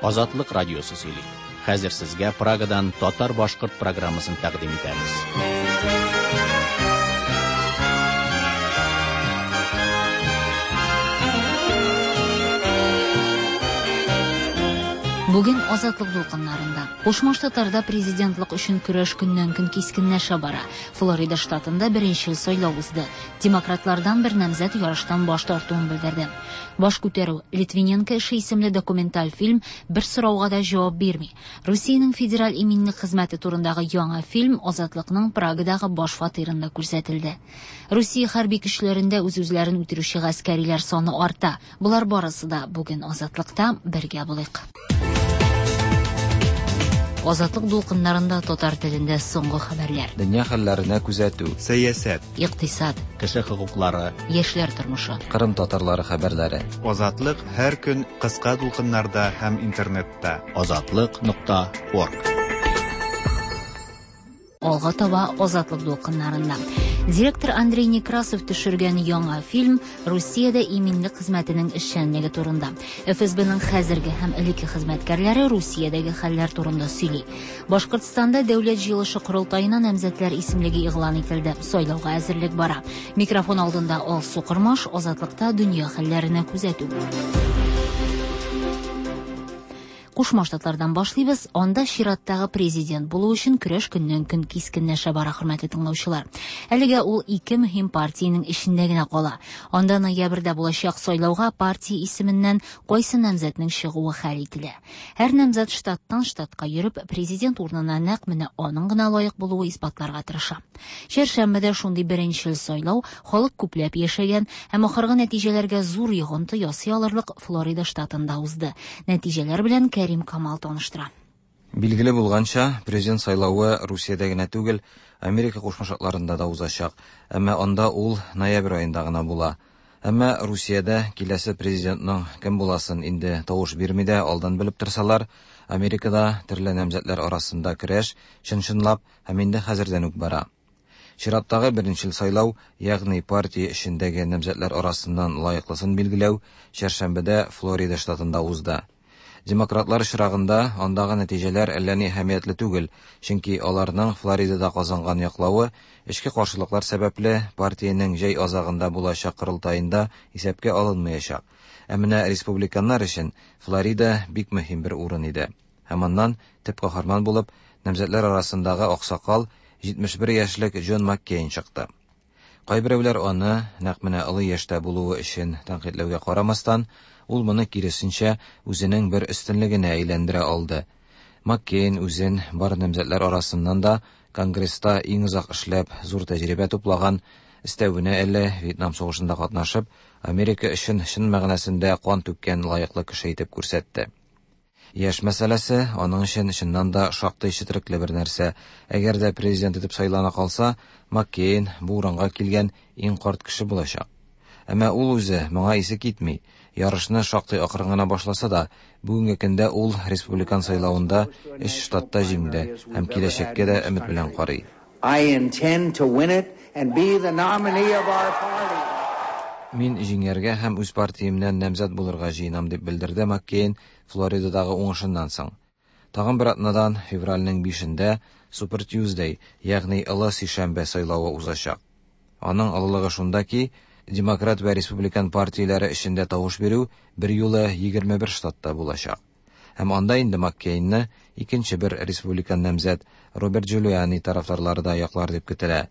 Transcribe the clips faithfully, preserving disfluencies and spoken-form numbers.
Азатлык радиосы сөйли. Хәзер сезгә Прагадан татар-башкорт программасын тәкъдим итәбез. Бүген Азатлык дулкыннарында. Кушма Штатларда президентлык өчен көрәш көннән-көн кискенләшә бара. Флорида штатында беренчел сайлау узды. Демократлардан бер намзәт ярыштан баш тартуын белдерде. Баш күтәрү Литвиненко эше исемле документаль фильм бер сорауга да җавап бирми. Русиянең федераль иминлек хезмәте турындагы яңа фильм Азатлыкның Прагадагы баш фатирында күрсәтелде. Русия хәрби көчләрендә үз-үзләрен үтерүче гаскәриләр саны арта. Болар барысы да бүген Азатлыкта бергә булыйк. Азатлык дулкыннарында татар телендә соңгы хәбәрләр. Дөнья хәлләренә күзәтү, сәясәт, икътисад, кеше хокуклары, яшьләр тормышы, Кырым татарлары хәбәрләре. Азатлык һәр көн кыска дулкыннарда һәм интернетта. Азатлык нокта орг. Алга таба Азатлык дулкыннарында. Директор Андрей Некрасов төшергән яңа фильм Русиядә иминлек хезмәтенең эшчәнлеге турында. Эф Эс Б-ның хәзерге һәм элекке хезмәткәрләре Русиядәге хәлләр турында сөйли. Башкортстанда дәүләт җыелышы корылтаена намзәтләр исемлеге игълан ителде. Сайлауга әзерлек бара. Микрофон алдында Алсу Кормаш, Азатлыкта дөнья хәлләренә күзәтү. Кушма Штатлардан башлыйбыз. Анда чираттагы президент булу өчен көрәш көннән-көн кискенләшә бара, хөрмәтле тыңлаучылар. Әлегә ул ике мөһим партиянең эчендә генә кала. Анда ноябрьдә булачак сайлауга партия исеменнән кайсы намзәтнең чыгуы хәл ителә. Һәр намзәт штаттан штатка йөреп, президент урынына нәкъ менә аның гына лаек булуы исбатларга тырыша. Чәршәмбедә шундый беренчел сайлау халык күпләп яшәгән һәм ахыргы нәтиҗәләргә зур йогынты ясый алырлык Флорида штатында узды. Нәтиҗәләр белән Кәрим Камал таныштыра. Билгеле булганча, президент сайлавы Русиядә генә түгел, Америка Кушма Штатларында да узачак. Әмма анда ул ноябрь аенда гына була. Әмма Русиядә киләсе президентның кем буласын инде тавыш бирми дә алдан белеп торсалар, Америкада төрле намзәтләр арасында көрәш чын-чынлап һәм инде хәзердән үк бара. Чираттагы беренчел сайлау, ягъни партия эчендәге намзәтләр арасыннан лаеклысын билгеләү, чәршәмбедә Флорида штатында узды. Демократлар очрагында андагы нәтиҗәләр әллә ни әһәмиятле түгел, чөнки аларның Флоридада казанган яклавы эчке каршылыклар сәбәпле партиянең җәй азагында булачак корылтаенда исәпкә алынмаячак. Ә менә республиканнар өчен Флорида бик мөһим бер урын иде. Һәм аннан төп каһарман булып намзәтләр арасындагы аксакал җитмеш бер яшьлек Джон Маккейн чыкты. Кайберәүләр аны нәкъ менә олы яшьтә булуы өчен тәнкыйтьләүгә карамастан, ул моны киресенчә үзенең бер өстенлегенә әйләндерә алды. Маккейн үзен бар намзәтләр арасыннан да Конгресста иң озак эшләп, зур тәҗрибә туплаган, өстәвенә әле Вьетнам сугышында катнашып, Америка өчен чын мәгънәсендә кан түккән лаеклы кеше итеп күрсәтте. Яшь мәсьәләсе аның өчен чыннан да шактый четерекле бер нәрсә. Әгәр дә президент итеп сайлана калса, Маккейн бу урынга килгән иң карт кеше булачак. Әмма ул үзе моңа исе китми. Ярышны шактый акрын гына башласа да, бүгенге көндә ул республикан сайлавында өч штатта җиңде һәм киләчәккә дә өмет белән карый. I intend to win it and be the nominee of our party. Мин җиңәргә һәм үз партиямнән намзәт булырга җыенам, дип белдерде Маккейн Флоридадагы уңышыннан соң. Тагын бер атнадан февральнең бишендә Super Tuesday, ягъни Олы сишәмбе сайлавы узачак. Аның олылыгы шунда ки, Демократ вә Республикан партияләре эчендә тавыш бирү бер юлы егерме бер штатта булачак. Һәм анда инде Маккейнны икенче бер республикан намзәт Роберт Джулиани тарафдарлары да яклар дип көтелә.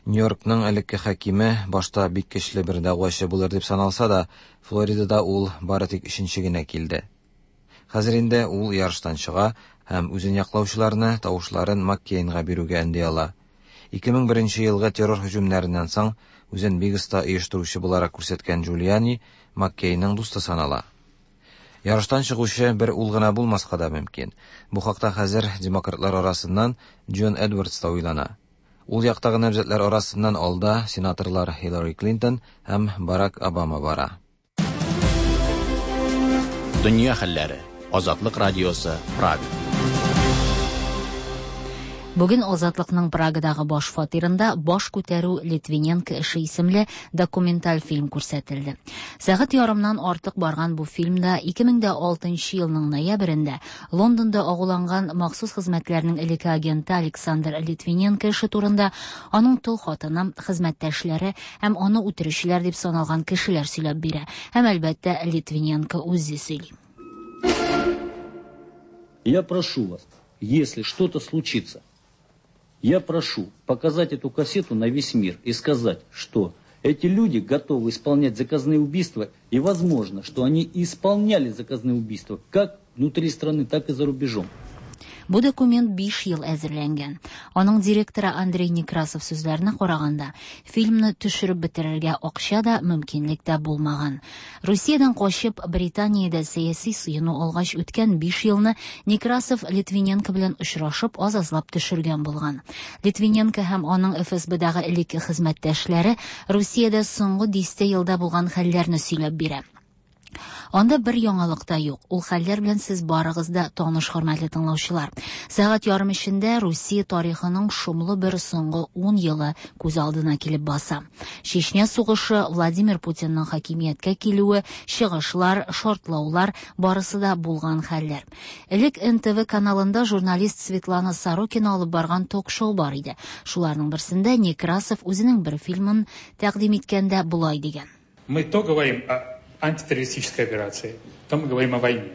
Нью-Йоркның элекке хакиме башта бик көчле бер дәгъвачы булыр дип саналса да, Флоридада ул бары тик өченче генә килде. Хәзер инде ул ярыштан чыга һәм үзен яклаучыларны тавышларын Маккейнга бирүгә өнди ала. Ике мең беренче елгы террор һөҗүмнәреннән соң үзен бик оста оештыручы буларак күрсәткән Джулиани Маккейнның дусты санала. Ярыштан чыгучы бер ул гына булмаска да мөмкин. Бу хакта хәзер демократлар арасыннан Джон Эдвардс та уйлана. Ул яктагы намзәтләр арасыннан алда сенаторлар Хиллари Клинтон һәм Барак Обама бара. Дөнья хәлләре. Азатлык радиосы, Прага. Бүген Азатлыкның Прагадагы баш фатирында «Баш күтәрү: Литвиненко эше» исемле документаль фильм күрсәтелде. Сәгать ярымнан артык барган бу фильмда ике мең дә алтынчы елның ноябрендә Лондонда агуланган махсус хезмәтләрнең элекке агенты Александр Литвиненко эше турында аның тол хатыны, хезмәттәшләре һәм аны үтерүчеләр дип саналган кешеләр сөйләп бирә. Һәм әлбәттә Литвиненко үзе сөйли. Я прошу вас, если что-то случится, я прошу показать эту кассету на весь мир и сказать, что эти люди готовы исполнять заказные убийства, и возможно, что они исполняли заказные убийства как внутри страны, так и за рубежом. Бу документ биш ел әзерләнгән. Аның директоры Андрей Некрасов сүзләренә караганда, фильмны төшереп бетерергә акча да, мөмкинлек тә булмаган. Русиядән качып, Британиядә сәяси сыену алгач үткән биш елны Некрасов Литвиненко белән очрашып, аз-азлап төшергән булган. Литвиненко һәм аның Эф Эс Б-дагы элекке хезмәттәшләре Русиядә соңгы дистә елда булган хәлләрне сөйләп бирә. Анда бер яңалык та юк. Ул хәлләр белән сез барыгыз да таныш, хөрмәтле тыңлаучылар. Сәгать ярым эчендә Русия тарихының шомлы бер соңгы ун елы күз алдына килеп баса. Чечня сугышы, Владимир Путинның хакимияткә килүе, чыгышлар, шартлаулар барысы да булган хәлләр. Элек Эн Тэ Вэ каналында журналист Светлана Сорокина алып барган ток-шоу бар иде. Шуларның берсендә Некрасов үзенең бер фильмын тәкъдим иткәндә болай дигән. Мы то говорим о антитеррористической операции, то мы говорим о войне.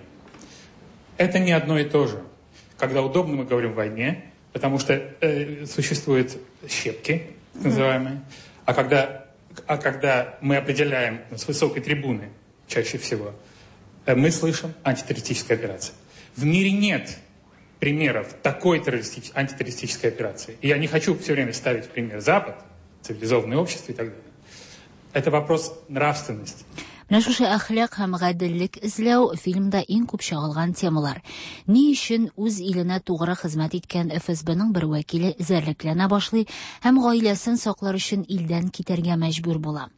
Это не одно и то же. Когда удобно, мы говорим о войне, потому что, э, существуют щепки, так называемые. А когда, а когда мы определяем с высокой трибуны, чаще всего, э, мы слышим антитеррористическая операция. В мире нет примеров такой террористич-, антитеррористической операции. И я не хочу все время ставить пример Запад, цивилизованное общество и так далее. Это вопрос нравственности. Менә шушы әхлак һәм гаделлек эзләү фильмда иң күп чагылган темалар. Ни өчен үз иленә тугры хезмәт иткән Эф Эс Б-ның бер вәкиле эзәрлекләнә башлый һәм гаиләсен саклар өчен илдән китәргә мәҗбүр була.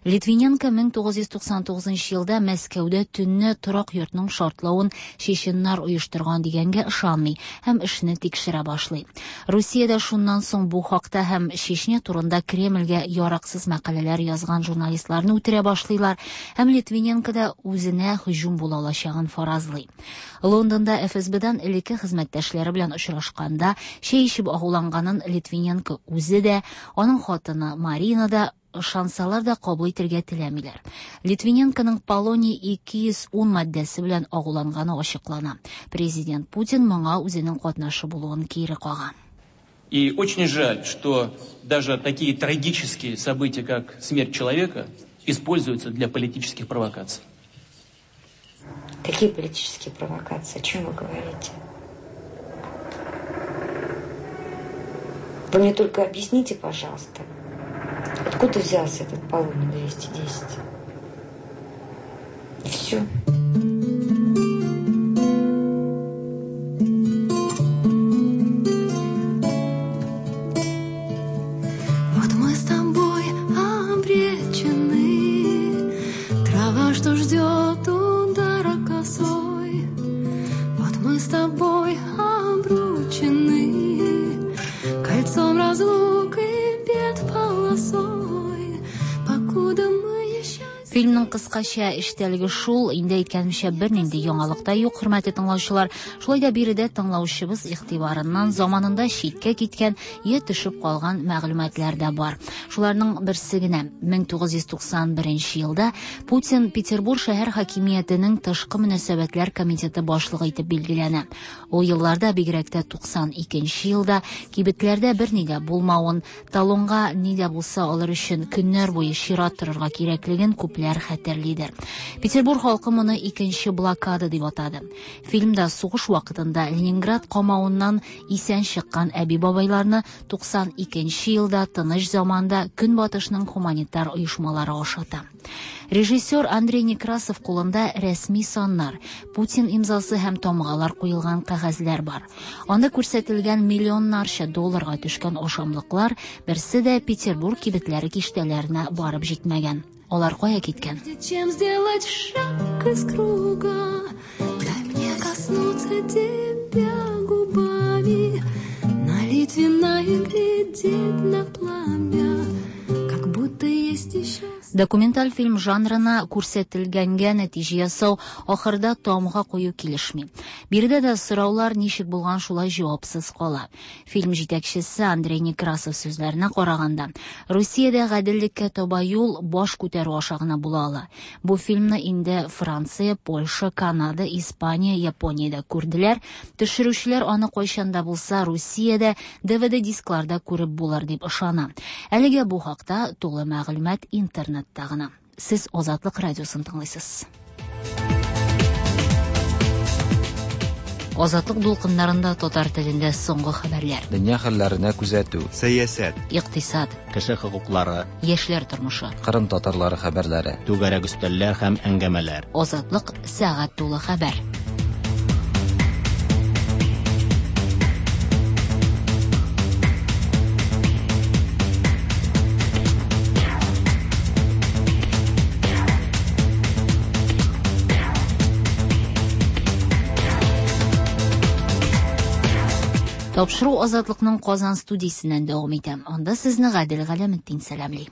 Литвиненко мең тугыз йөз туксан тугызынчы елда Мәскәүдә төнне торак йортның шартлавын чеченнар оештырган дигәнгә ышанмый һәм эшне тикшерә башлый. Русиядә шуннан соң бу хакта һәм Чечня турында Кремльгә яраксыз мәкаләләр язган журналистларны үтерә башлыйлар һәм Литвиненко да үзенә һөҗүм була алачагын фаразлый. Лондонда Эф Эс Б-дан элекке хезмәттәшләре белән очрашканда чәй эчеп агуланганын Литвиненко үзе дә, аның хатыны Марина да ышансалар да кабул итәргә теләмиләр. Литвиненконың Полоний ике йөз ун маддәсе белән агуланганы ачыклана. Президент Путин моңа үзенең катнашы булуын кире кага. И очень жаль, что даже такие трагические события, как смерть человека, используются для политических провокаций. Какие политические провокации? О чем вы говорите? Вы мне только объясните, пожалуйста, откуда взялся этот Полоний двести десять? И все. Вот мы с тобой обречены, трава, что ждет удара косой. Вот мы с тобой обручены, кольцом разлук и бед полосой, покуда мы еще... Фильмның кыскача эчтәлеге шул, инде әйткәнемчә бернинди яңалык та юк, хөрмәтле тыңлаучылар. Шулай да биредә тыңлаучыбыз игътибарыннан заманында читкә киткән я төшеп калган мәгълүматлар да бар. Шуларның берсе генә мең тугыз йөз туксан беренче елда Путин Петербург шәһәр хакимиятенең тышкы мөнәсәбәтләр комитеты башлыгы итеп билгеләнә. Ул елларда, бигрәк тә туксан икенче елда кибетләрдә берни дә булмавын, талонга ни дә булса алыр өчен көннәр буе чират торырга кирәклеген күпләр хәтерлидер. Петербург халкы моны икенче блокада дип атады. Фильмда сугыш вакытында Ленинград камавыннан исән чыккан әби-бабайларны туксан икенче елда тыныч заманда Көнбатышның гуманитар оешмалары ашата. Режиссер Андрей Некрасов кулында рәсми саннар, Путин имзасы һәм тамгалар куелган кәгазьләр бар. Анда күрсәтелгән миллионнарча долларга төшкән ашамлыклар берсе дә Петербург кибетләре киштәләренә барып җитмәгән. Алар кая киткән? Чем сделать шаг из круга? Дай мне коснуться тебя губами, налить глядеть на пламя, как будто есть еще. Документаль фильм жанрына күрсәтелгәнгә нәтиҗә ясау, ахырда тамга кую килешми. Биредә дә сораулар ничек булган шулай җавапсыз кала. Фильм җитәкчесе Андрей Некрасов сүзләренә караганда, Русиядә гаделлеккә таба юл баш күтәрү аша гына була ала. Бу фильмны инде Франция, Польша, Канада, Испания, Япониядә күрделәр. Төшерүчеләр аны кайчан да булса Русиядә Д В Д дискларда күреп булыр дип ышана. Әлегә бу хакта тулы мәгълүмат интернетта гына. Сез Азатлык радиосын тыңлыйсыз. Азатлык дулкыннарында татар телендә соңгы хәбәрләр. Дөнья хәлләренә күзәтү, сәясәт, икътисад, кеше хокуклары, яшьләр тормышы, Кырым татарлары хәбәрләре, түгәрәк өстәлләр һәм әңгәмәләр. Азатлык сәгать тулы хәбәр. Тапшыру Азатлыкның Казан студиясеннән дәвам итә. Анда сезне Гадел Галәметдин сәламли.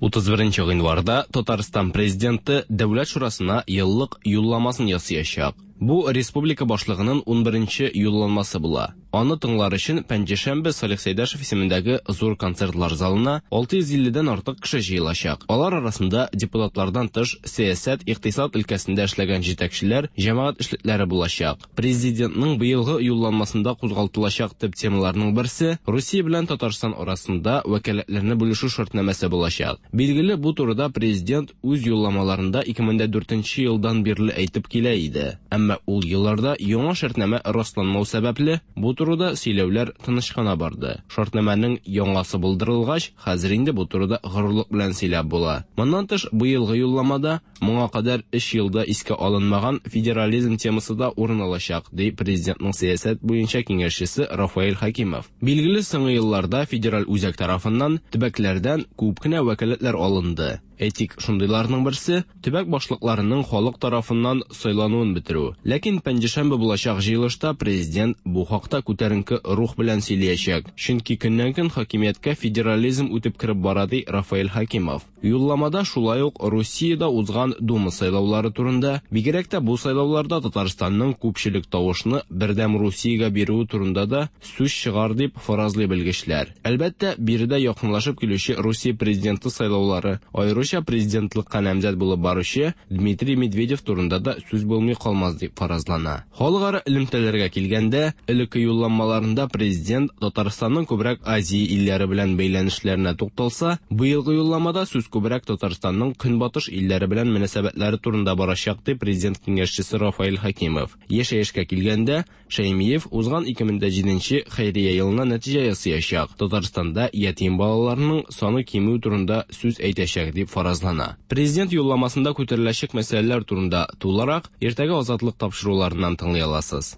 Утыз беренче гыйнварда Татарстан президенты Дәүләт шурасына еллык юлламасын ясаячак. Бу республика башлыгының ун беренче юлламасы була. Аны тыңлар өчен Пәнҗешәмбе Салих Сәйдәшев исемендәге зур концертлар залына алты йөз илледән артык кеше җыелачак. Алар арасында депутатлардан тыш сәясәт, икътисад өлкәсендә эшләгән җитәкчеләр, җәмәгать эшлекләре булачак. Президентның быелгы юлламасында кузгалтылачак төп темаларның берсе Русия белән Татарстан арасында вәкаләтләрне бүлешү шартнамәсе булачак. Билгеле, бу турыда президент үз юлламаларында ике мең дә дүртенче елдан бирле әйтеп килә иде. Әмма ул елларда яңа шартнамә расланмау сәбәпле бу турыда сөйләүләр тыныч кына барды. Шартнамәнең яңасы булдырылгач, хәзер инде бу турыда горурлык белән сөйләп була. Моннан тыш, быелгы юлламада моңа кадәр өч елда искә алынмаган федерализм темасы да урын алачак, ди президентның сәясәт буенча киңәшчесе Рафаэль Хакимов. Билгеле, соңгы елларда федераль үзәк тарафыннан төбәкләрдән күп кенә вәкаләтләр алынды. Әйтик, шундыйларның берсе төбәк башлыкларының халык тарафыннан сайлануын бетерү. Ләкин пәнҗешәмбе булачак җыелышта президент бу хакта күтәренке рух белән сөйләячәк. Чөнки көннән-көн хакимияткә федерализм үтеп кереп бара, ди Рафаэль Хакимов. Юлламада шулай ук Русиядә узган Дума сайлаулары турында, бигрәк тә бу сайлауларда Татарстанның күпчелек тавышны Бердәм Русиягә бирүе турында да сүз чыгар дип фаразлый белгечләр. Әлбәттә, биредә якынлашып килүче Русия президенты сайлаулары, аеруча президентлыкка намзәт булып баручы Дмитрий Медведев турында да сүз булмый калмас дип фаразлана. Халыкара элемтәләргә килгәндә, элекке юлламаларында президент Татарстанның күбрәк Азия илләре белән бәйләнешләренә тукталса, быелгы юлламада сүз күбрәк Татарстанның көнбатыш илләре белән мөнәсәбәтләре турында барачак, ди президент киңәшчесе Рафаэль Хакимов. Яшәешкә килгәндә, Шәймиев узган ике мең дә җиденче хәйрия елына нәтиҗә ясаячак. Татарстанда ятим балаларның саны кимү турында сүз әйтәчәк дип фаразлана. Президент юлламасында күтәреләчәк мәсьәләләр турында тулырак иртәгә Азатлык тапшыруларыннан тыңлый аласыз.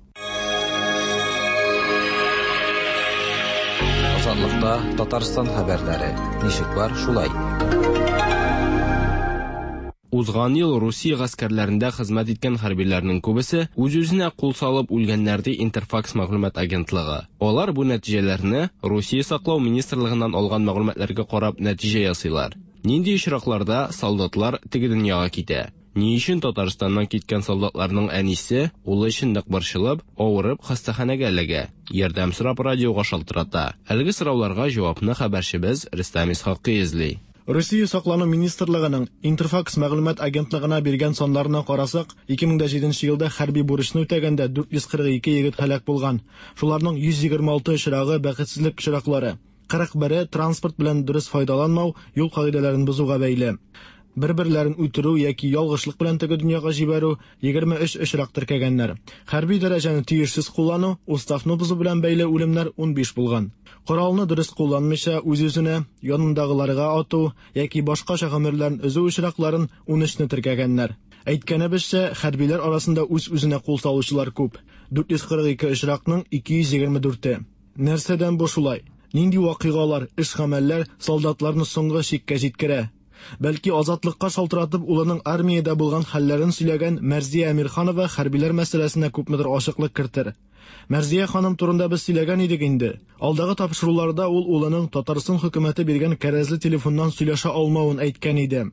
Азатлыкта Татарстан хәбәрләре. Ничек бар, шулай. Узган ел Русия гаскәрләрендә хезмәт иткән хәрбиләрнең күбесе үз-үзенә кул салып үлгәннәр, ди Интерфакс мәгълүмат агентлыгы. Алар бу нәтиҗәләрне Русия саклау министрлыгыннан алган мәгълүматларга карап нәтиҗә ясыйлар. Нинди очракларда солдатлар теге дөньяга китә? Ни өчен Татарстаннан киткән солдатларның әнисе улы өчен нык борчылып, авырып хастаханәгә эләгә? Ярдәм сорап радиога шалтырата. Әлеге сорауларга җавапны хәбәрчебез Рөстәм Исхакый эзли. Русия саклану министрлыгының Интерфакс мәгълүмат агентлыгына биргән саннарына карасак, ике мең дә җиденче елда хәрби бурычны үтәгәндә дүрт йөз кырык ике егет һәлак булган. Шуларның йөз егерме алты очрагы бәхетсезлек очраклары. Кырык бере транспорт белән дөрес файдаланмау, юл кагыйдәләрен бозуга бәйле. Бер-берләрен үтерү яки ялгышлык белән теге дөньяга җибәрү егерме өч очрак теркәгәннәр. Хәрби дәрәҗәне тиешсез куллану, уставны бозу белән бәйле үлемнәр ун биш булган. Коралны дөрес кулланмыйча үз-үзенә, янындагыларга ату яки башкача гомерләрен өзү очракларын ун өчне теркәгәннәр. Әйткәнебезчә, хәрбиләр арасында үз-үзенә кул салучылар күп. Дүрт йөз кырык ике очракның ике йөз егерме дүрте. Нәрсәдән бу шулай? Нинди вакыйгалар, эш-гамәлләр солдатларны соңгы чиккә җиткерә? Бәлки Азатлыкка шалтыратып улының армиядә булган хәлләрен сөйләгән Мәрзия Әмирханова хәрбиләр мәсьәләсенә күпмедер ачыклык кертер. Мәрзия ханым турында без сөйләгән идек инде. Алдагы тапшыруларда ул улының Татарстан хөкүмәте биргән кәрәзле телефоннан сөйләшә алмавын әйткән иде.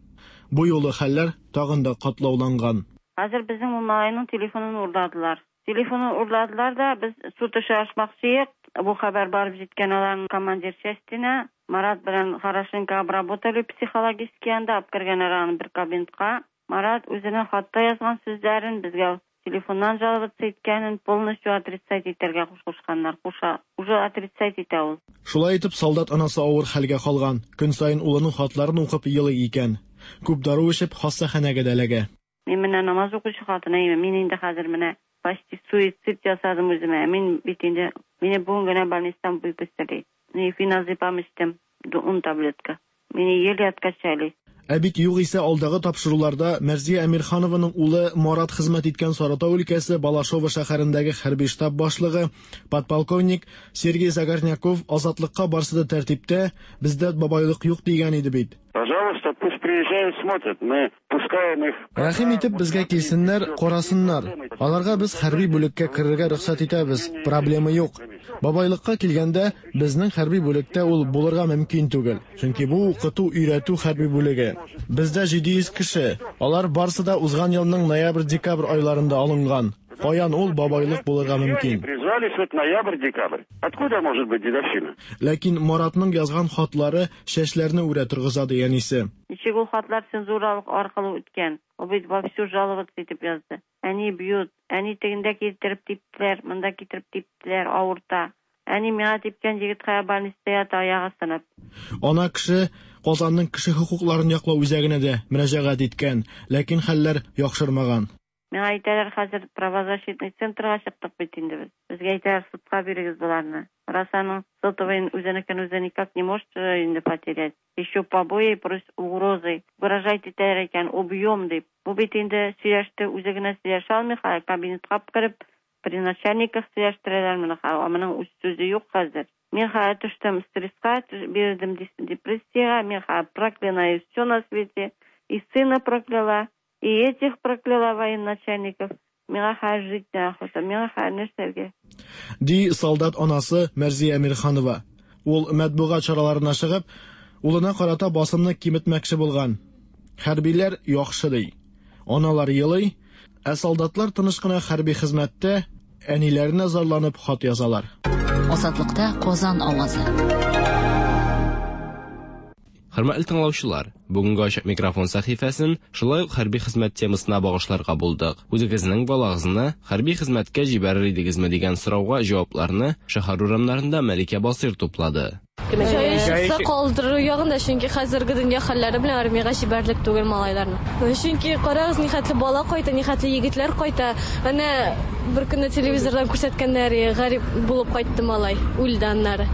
Бу юлы хәлләр тагын да катлауланган. Хәзер безнең ул малайның телефонын урладылар. Телефонын урладылар да, без суд эше ачмакчы идек. Бу хәбәр барып җиткән аларның командир частена. Марат белән хорошенько обработали психологически, анда алып кергәннәр аны бер кабинетка. Марат үзенең хатта язган сүзләрен безгә телефоннан жаловаться иткәнен полностью отрицать итәргә кушканнар. Куша, уже отрицать итә ул. Шулай итеп, солдат анасы авыр хәлгә калган. Көн саен улының хатларын укып елый икән. Күп дару эчеп хастаханәгә дә эләгә. Мин менә намаз укучы хатын, мин инде хәзер менә почти суицид ясадым үземә. Мин бит инде мине бүген генә больницадан выпустили. Феназепам эчтем, ун таблетка. Мине еле откачали. Ә бит югыйсә алдагы тапшыруларда Мәрзия Әмирханованың улы Марат хезмәт иткән Саратау өлкәсе Балашова шәһәрендәге хәрби штаб башлыгы подполковник Сергей Загорняков Азатлыкка барсы да тәртиптә, бездә бабайлык юк дигән иде бит. Пожалуйста, пусть приезжают, смотрят. Мы пускаем их. Рәхим итеп безгә килсеннәр, карасыннар. Аларга без хәрби бүлеккә керергә рөхсәт итәбез. Проблема юк. Бабайлыкка килгәндә, безнең хәрби бүлектә ул булырга мөмкин түгел. Чөнки бу укыту, өйрәтү хәрби бүлеге. Бездә җиде йөз кеше. Алар барсы да узган елның ноябрь-декабрь айларында алынган. Каян ул бабайлык булырга мөмкин? Призвались вот ноябрь-декабрь. Откуда может быть дедовщина? Ләкин Маратның язган хатлары чәчләрне үрә торгыза дигәнисе. Ничек ул хатлар цензуралык аркылы үткән? Ул бит вовсю жаловаться итеп язды. Әни бьют, әни тегендә китереп типтеләр, монда китереп типтеләр, авырта. Әни миңа типкән егет хая больницада ята, аягы сынып. Ана кеше Казанның кеше хокукларын яклау үзәгенә дә мөрәҗәгать иткән, ләкин хәлләр яхшырмаган. Миңа әйтәләр, хәзер правозащитный центрга чыктык бит инде без. Безгә әйтәләр, судка бирегез боларны. Раз аның сотовыйын үзенекен үзе никак не может инде потерять. Еще побои, плюс угрозы. Угрожать итәләр икән, убьем дип. Бу бит инде сөйләште, үзе генә сөйләшә алмый, кабинетка кереп, при начальниках сөйләштерәләр моны. Моның үз сүзе юк хәзер. Мин хәзер төштем стресска, бирдем депрессияга, мин хәзер проклинаю все на свете, и сына прокляла, и этих прокляла военачальников. Миңа хәзер жить неохота, миңа хәзер нәрсәгә. Ди солдат анасы Мәрзия Әмирханова. Ул матбугат чараларына чыгып, улына карата басымны киметмәкче булган. Хәрбиләр яхшы ди. Аналар елый, ә солдатлар тыныч кына хәрби хезмәттә әниләренә зарланып хат язалар. Азатлыкта Казан авазы. Хөрмәтле тыңлаучылар, бүгенге ачык микрофон сәхифәсен шулай ук хәрби хезмәт темасына багышларга булдык. Үзегезнең балагызны хәрби хезмәткә җибәрер идегезме дигән сорауга җавапларны шәһәр урамнарында Мәликә Басыр туплады. Җае чыкса калдыру ягында, чөнки хәзерге дөнья хәлләре белән армиягә җибәрлек түгел малайларны. Чөнки карагыз, нихәтле бала кайта, нихәтле егетләр кайта. Әнә бер көнне телевизордан күрсәткәннәр, гарип булып кайтты малай, үлде аннары.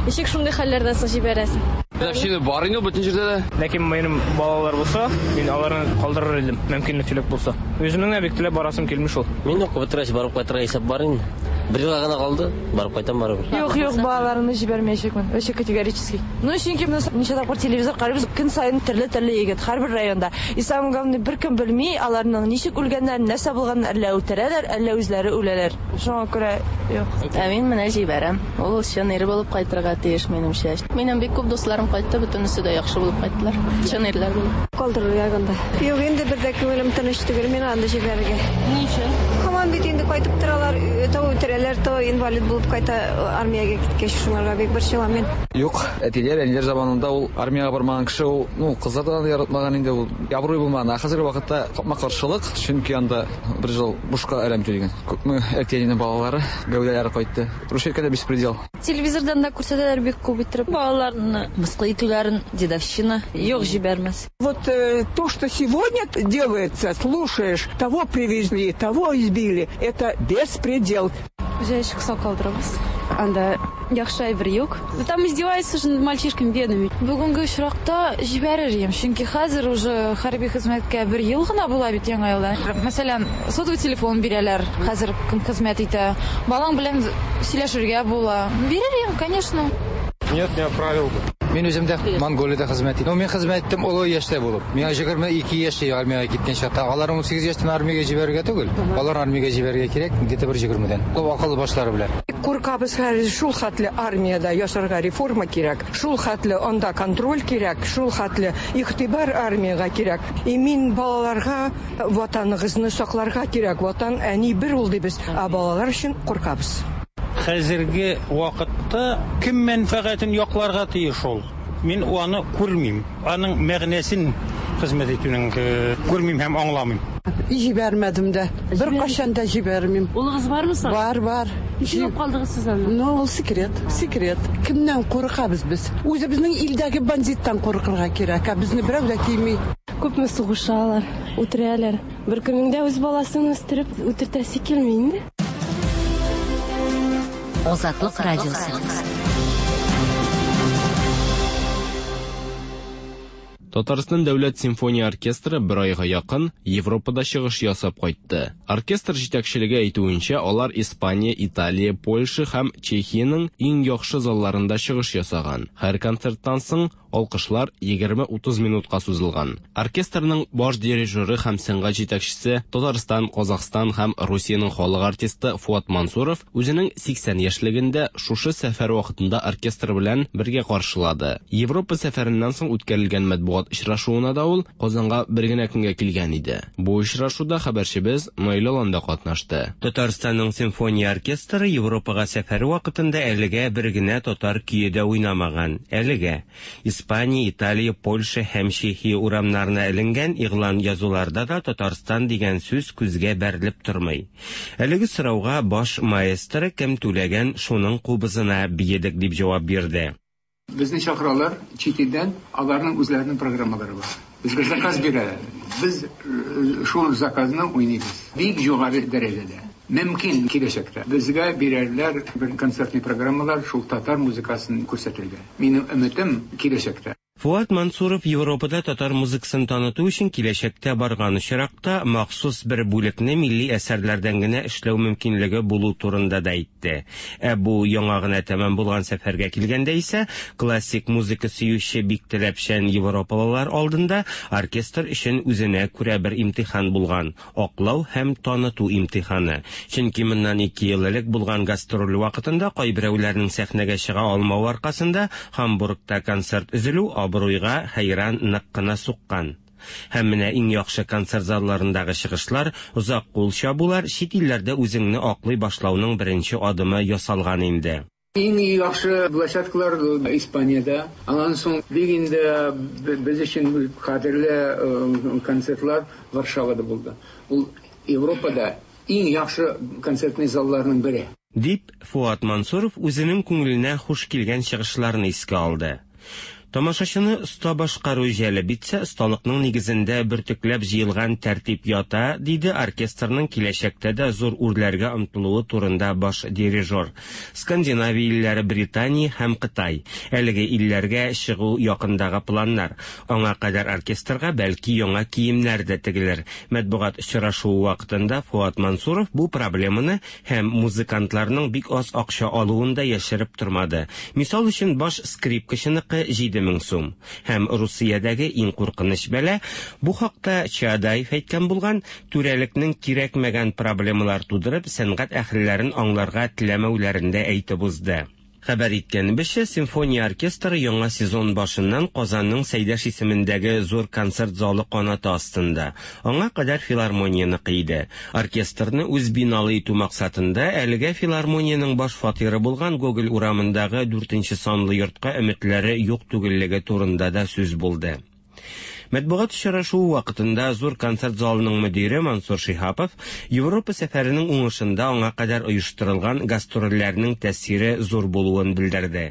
Ничек шундый хәлләрдән соң җибәрәсең? Дедовщина бар инде бөтен җирдә дә. Ләкин минем балалар булса, мин аларны калдырыр идем, мөмкинлекчелек булса. Үземнең дә бик теләп барасым килми шул. Мин укып бетергәч барып кайтырга исәп бар инде. Бер елга гына калды, барып кайтам барыбер. Юк, юк, балаларымны җибәрмәячәкмен. Вообще категорически. Ну, чөнки менә ничә тапкыр телевизор карыйбыз, көн саен төрле-төрле егет һәрбер районда. И самое главное, беркем белми аларның ничек үлгәннәрен, нәрсә булганын, әллә үтерәләр, әллә үзләре үләләр. Шуңа күрә юк. Ә мин менә җибәрәм. Ул чын ир булып кайтырга тиеш минемчә. Минем бик күп дусларым кайтты, бөтенесе дә яхшы булып кайттылар. Чын ирләр булып. Калдырыр ягында. Юк, инде бер дә күңелем тыныч түгел, мин анда җибәрергә. Ни өчен? Һаман бит инде кайтып торалар, то үтерәләр, то инвалид булып кайта армиягә киткәч, шуңарга бик борчылам мин. Юк, әтиләр, әниләр заманында ул армиягә бармаган кеше ул, ну, кызлар да яратмаган инде, ул абруй булмаган. Ә хәзерге вакытта капма-каршылык, чөнки анда бер ел бушка әләм түләгән. Күпме әти-әнинең балалары, гәүдәләре кайтты. Русча әйткәндә беспредел. Телевизордан да күрсәтәләр бик күп иттереп балаларны мыскыл итүләрен, дедовщина. Юк, җибәрмәс. Вот э, то, что сегодня делается, слушаешь, того привезли, того избили, это беспредел. Җае чыкса калдырабыз. Анда яхшы әйбер юк. Там издеваются же над мальчишками бедными. Бүгенге очракта җибәрер идем, чөнки хәзер уже хәрби хезмәткә бер ел гына була бит яңа елда. Мәсәлән, сотовый телефон бирәләр, хәзер кем хезмәт итә. Балаң белән сөйләшергә була. Бирер идем, конечно. Нет, не отправил бы. Мин үзем дә Монголиядә хезмәт иттем. Мин хезмәт иттем олы яшьтә булып. Миңа егерме ике яшьтә армиягә киткән чакта, алар ун сигез яшьтән армиягә җибәрергә түгел, алар армиягә җибәрергә кирәк, где-то бер егермедән. Акыл башлары белән. Куркабыз хәзер, шул хәтле армиядә ясарга реформа кирәк, шул хәтле анда контроль кирәк, шул хәтле игътибар армиягә кирәк. И мин балаларга ватаныгызны сакларга кирәк, ватан әни бер ул дибез, ә балалар өчен куркабыз. Хәзерге вакытта кем мәнфәгатен якларга тиеш ул? Мин аны күрмим. Аның мәгънәсен хезмәт итүнең күрмим һәм аңламыйм. Җибәрмәдем дә. Бер кашан да җибәрмим. Улыгыз бармы соң? Бар, бар. Ничек калдыгыз сез анда? Ну, ул секрет, секрет. Кемнән куркабыз без? Үзебезнең илдәге бандиттан куркырга кирәк, ә безне берәү дә тими. Күпме сугышалар, үтерәләр. Бер кемнең дә үз баласын үстереп үтертәсе килми инде. Азатлык радиосы. Татарстан дәүләт симфония оркестры бер айга якын Европада чыгыш ясап кайтты. Оркестр җитәкчелеге әйтүенчә, алар Испания, Италия, Польша һәм Чехиянең иң яхшы залларында чыгыш ясаган. Һәр концерттан соң алкышлар егерме-утыз минутка сузылган. Оркестрның баш дирижеры һәм сәнгать җитәкчесе Татарстан, Казахстан һәм Русиянең халык артисты Фуат Мансуров үзенең сиксән яшьлегендә шушы сәфәр вакытында оркестр белән бергә каршылады. Европа сәфәреннән соң үткәрелгән матбугат очрашуына да ул Казанга бер генә көнгә килгән иде. Бу очрашуда хәбәрчебез Наил Алан да катнашты. Татарстанның симфония оркестры Европага сәфәре вакытында әлегә бер генә татар көе дә уйнамаган. Әлегә Испания, Италия, Польша һәм Чехия урамнарына эленгән игълан язуларда да Татарстан дигән сүз күзгә бәрелеп тормый. Әлеге сорауга баш маэстро кем түләгән шуның кубызына биедек дип җавап бирде. Безне чакыралар чит илдән, аларның үзләренең программалары бар. Безгә заказ бирәләр. Без шул заказны уйныйбыз. Бик югары дәрәҗәдә. Мөмкин киләчәктә безгә бирәрләр бер концертный программалар шул татар музыкасын күрсәтергә. Минем өметем киләчәктә. Фуат Мансуров Европада татар музыкасын таныту өчен киләчәктә барган очракта махсус бер бүлекне милли әсәрләрдән генә эшләү мөмкинлеге булу турында да әйтте. Ә бу яңа гына тәмам булган сәфәргә килгәндә исә классик музыка сөюче бик таләпчән европалылар алдында оркестр өчен үзенә күрә бер имтихан булган аклау һәм таныту имтиханы. Чөнки моннан ике ел элек булган гастроль вакытында кайберәүләрнең сәхнәгә чыга алмавы аркасында Һамбургта концерт өзелү абруйга хәйран нык кына суккан. Һәм менә иң яхшы концерт залларындагы чыгышлар, озак кул чабулар чит илләрдә үзеңне аклый башлауның беренче адымы ясалган инде. Иң яхшы площадкалар Испаниядә. Аннан соң бик инде без өчен кадерле концертлар Варшавада булды. Ул Европада иң яхшы концертный залларның бере. Дип Фуат Мансуров үзенең күңеленә хуш килгән чыгышларны искә алды. Тамашачыны оста башкару җәлеп итсә, осталыкның нигезендә бөртекләп җыелган тәртип ята, диде оркестрның киләчәктә дә зур үрләргә омтылуы турында баш дирижер. Скандинавия илләре, Британия һәм Кытай. Әлеге илләргә чыгу якындагы планнар. Аңа кадәр оркестрга бәлки яңа киемнәр дә тегелер. Матбугат очрашуы вакытында Фуат Мансуров бу проблеманы һәм музыкантларның бик аз акча алуын да яшереп тормады. Мисал өчен, баш скрипкачыныкы җиде мең сум. Һәм Русиядәге иң куркыныч бәла, бу хакта Чадаев әйткән булган, түрәлекнең кирәкмәгән проблемалар тудырып, сәнгать әһелләрен аңларга теләмәүләрен дә әйтеп узды. Хәбәр иткәнебезчә, симфония оркестры яңа сезон башыннан Казанның Сәйдәш исемендәге зур концерт залы канаты астында. Аңа кадәр филармонияныкы иде. Оркестрны үз биналы итү максатында әлегә филармониянең баш фатиры булган Гоголь урамындагы дүртенче санлы йортка өметләре юк түгеллеге турында да сүз булды. Матбугат очрашуы вакытында зур концерт залының мөдире Мансур Шиһапов Европа сәфәренең уңышында аңа кадәр оештырылган гастрольләрнең тәэсире зур булуын белдерде.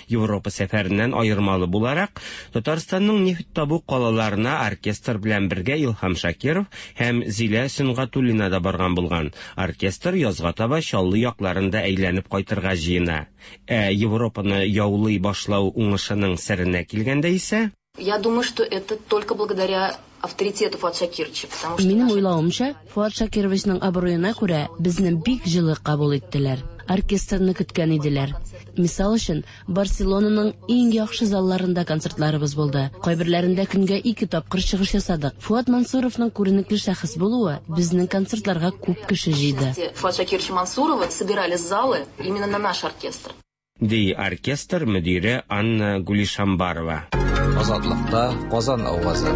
Европа сәфәреннән аермалы буларак, Татарстанның нефть табу калаларына оркестр белән бергә Илһам Шакиров һәм Зилә Сөнгатуллина да барган булган. Оркестр язга таба Чаллы якларында әйләнеп кайтырга җыена. Ә Европаны яулый башлау уңышының серенә килгәндә исә, Я думаю, что это только благодаря авторитету Фуата Шакировича, потому что Минем уйлавымча, Фуат Шакировичның абруена күрә безне бик җылы кабул иттеләр. оркестрны көткән иделәр. Мисал өчен, Барселонаның иң яхшы залларында концертларыбыз булды. Кайберләрендә көнгә ике тапкыр чыгыш ясадык. Фуат Мансуровның күренекле шәхес булуы безнең концертларга күп кеше җыйды. Фуат Шакировича Мансурова собирали залы именно на наш оркестр. Ди оркестр мөдире Анна Гулишамбарова. Азатлыкта Казан авазы.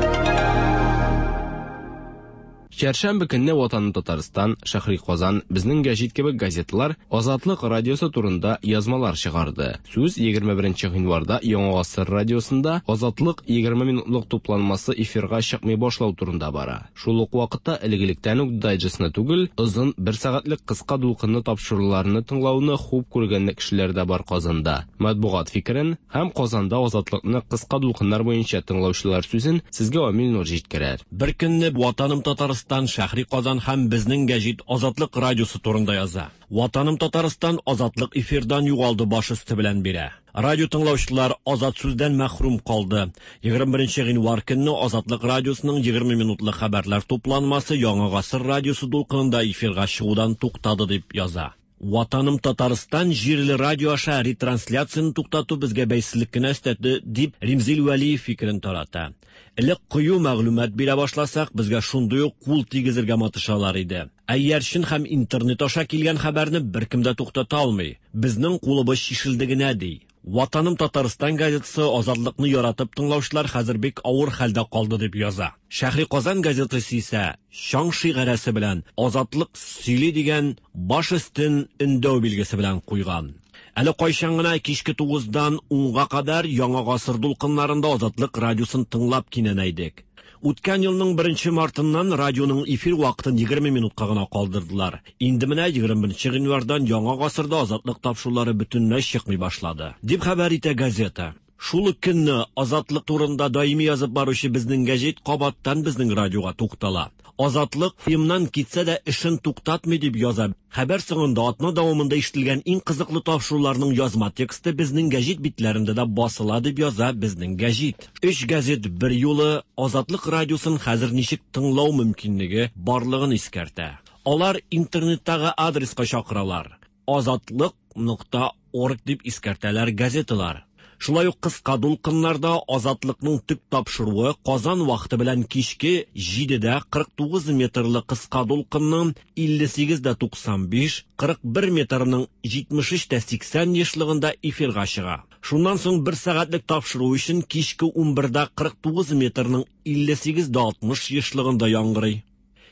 Чәршәмбе көнне Ватаным Татарстан, Шәһри Казан, Безнең гәҗит кебек газеталар Азатлык радиосы турында язмалар чыгарды. Сүз егерме беренче гыйнварда Яңа Гасыр радиосында Азатлык егерме минутлык тупланмасы эфирга чыкмый башлау турында бара. Шул ук вакытта элек-электән үк дайджестны түгел, озын бер сәгатьлек кыска дулкынлы тапшыруларны тыңлауны хуп күргән кешеләр дә бар Казанда. Матбугат фикерен һәм Казанда Азатлыкны кыска дулкыннар буенча тыңлаучылар сүзен сезгә Амил Нур җиткерер. Бер көнне Ватаным Татарстан Шәһри Казан һәм Безнең гәҗит Азатлык радиосы турында яза. Ватаным Татарстан Азатлык эфирдан югалды баш өсте белән бирә. Радио тыңлаучылар азат сүздән мәхрүм калды. Егерме беренче гыйнвар көнне Азатлык радиосының егерме минутлык хәбәрләр тупланмасы Яңа Гасыр радиосы дулкынында эфирга чыгудан туктады дип яза. Ватаным Татарстан җирле радио аша ретрансляцияны туктату безгә бәйсезлек кенә өстәде дип Римзил Вәлиев фикерен тарата. Элек кыю мәгълүмат бирә башласак, безгә шундый ук кул тигезергә матышалар иде. Ә иярчен һәм интернет аша килгән хәбәрне беркем дә туктата алмый. Безнең кулыбыз чишелде генә ди. Ватаным Татарстан газетасы Азатлыкны яратып тыңлаучылар хәзер бик авыр хәлдә калды дип яза. Шәһри Казан газетасы исә чаң шигарәсе белән Азатлык сөйли дигән баш өстен өндәү билгесе белән куйган. Әле кайчан гына кичке тугыздан унга кадәр Яңа Гасыр дулкыннарында Азатлык радиосын тыңлап кинәнәйдек. Үткән елның беренче мартыннан радионың эфир вакытын егерме минутка гына калдырдылар. Инде менә егерме беренче гыйнвардан Яңа Гасырда Азатлык тапшырулары бөтенләй чыкмый башлады, дип хәбәр итә газета. Шул ук көнне Азатлык турында даими язып баручы Безнең гәҗит кабаттан безнең радиога туктала. Азатлык фильмнан китсә дә эшен туктатмый дип яза. Хәбәр соңында атна дәвамында ишетелгән иң кызыклы тапшыруларның язма тексты Безнең гәҗит битләрендә дә басыла дип яза Безнең гәҗит. Өч газет бер юлы Азатлык радиосын хәзер ничек тыңлау мөмкинлеге барлыгын искәртә. Алар интернеттагы адреска чакыралар. Азатлык нокта орг дип искәртәләр газеталар. Шулай ук кыска дулкыннарда Азатлыкның төп тапшыруы Казан вакыты белән кичке җидедә кырык тугыз метрлы кыска дулкынның илле сигез дә туксан биш, кырык бер метрның җитмеш өч тә сиксән ешлыгында эфирга чыга. Шуннан соң бер сәгатьлек тапшыру өчен кичке унбердә кырык тугыз метрның илле сигез дә алтмыш ешлыгында яңгырый.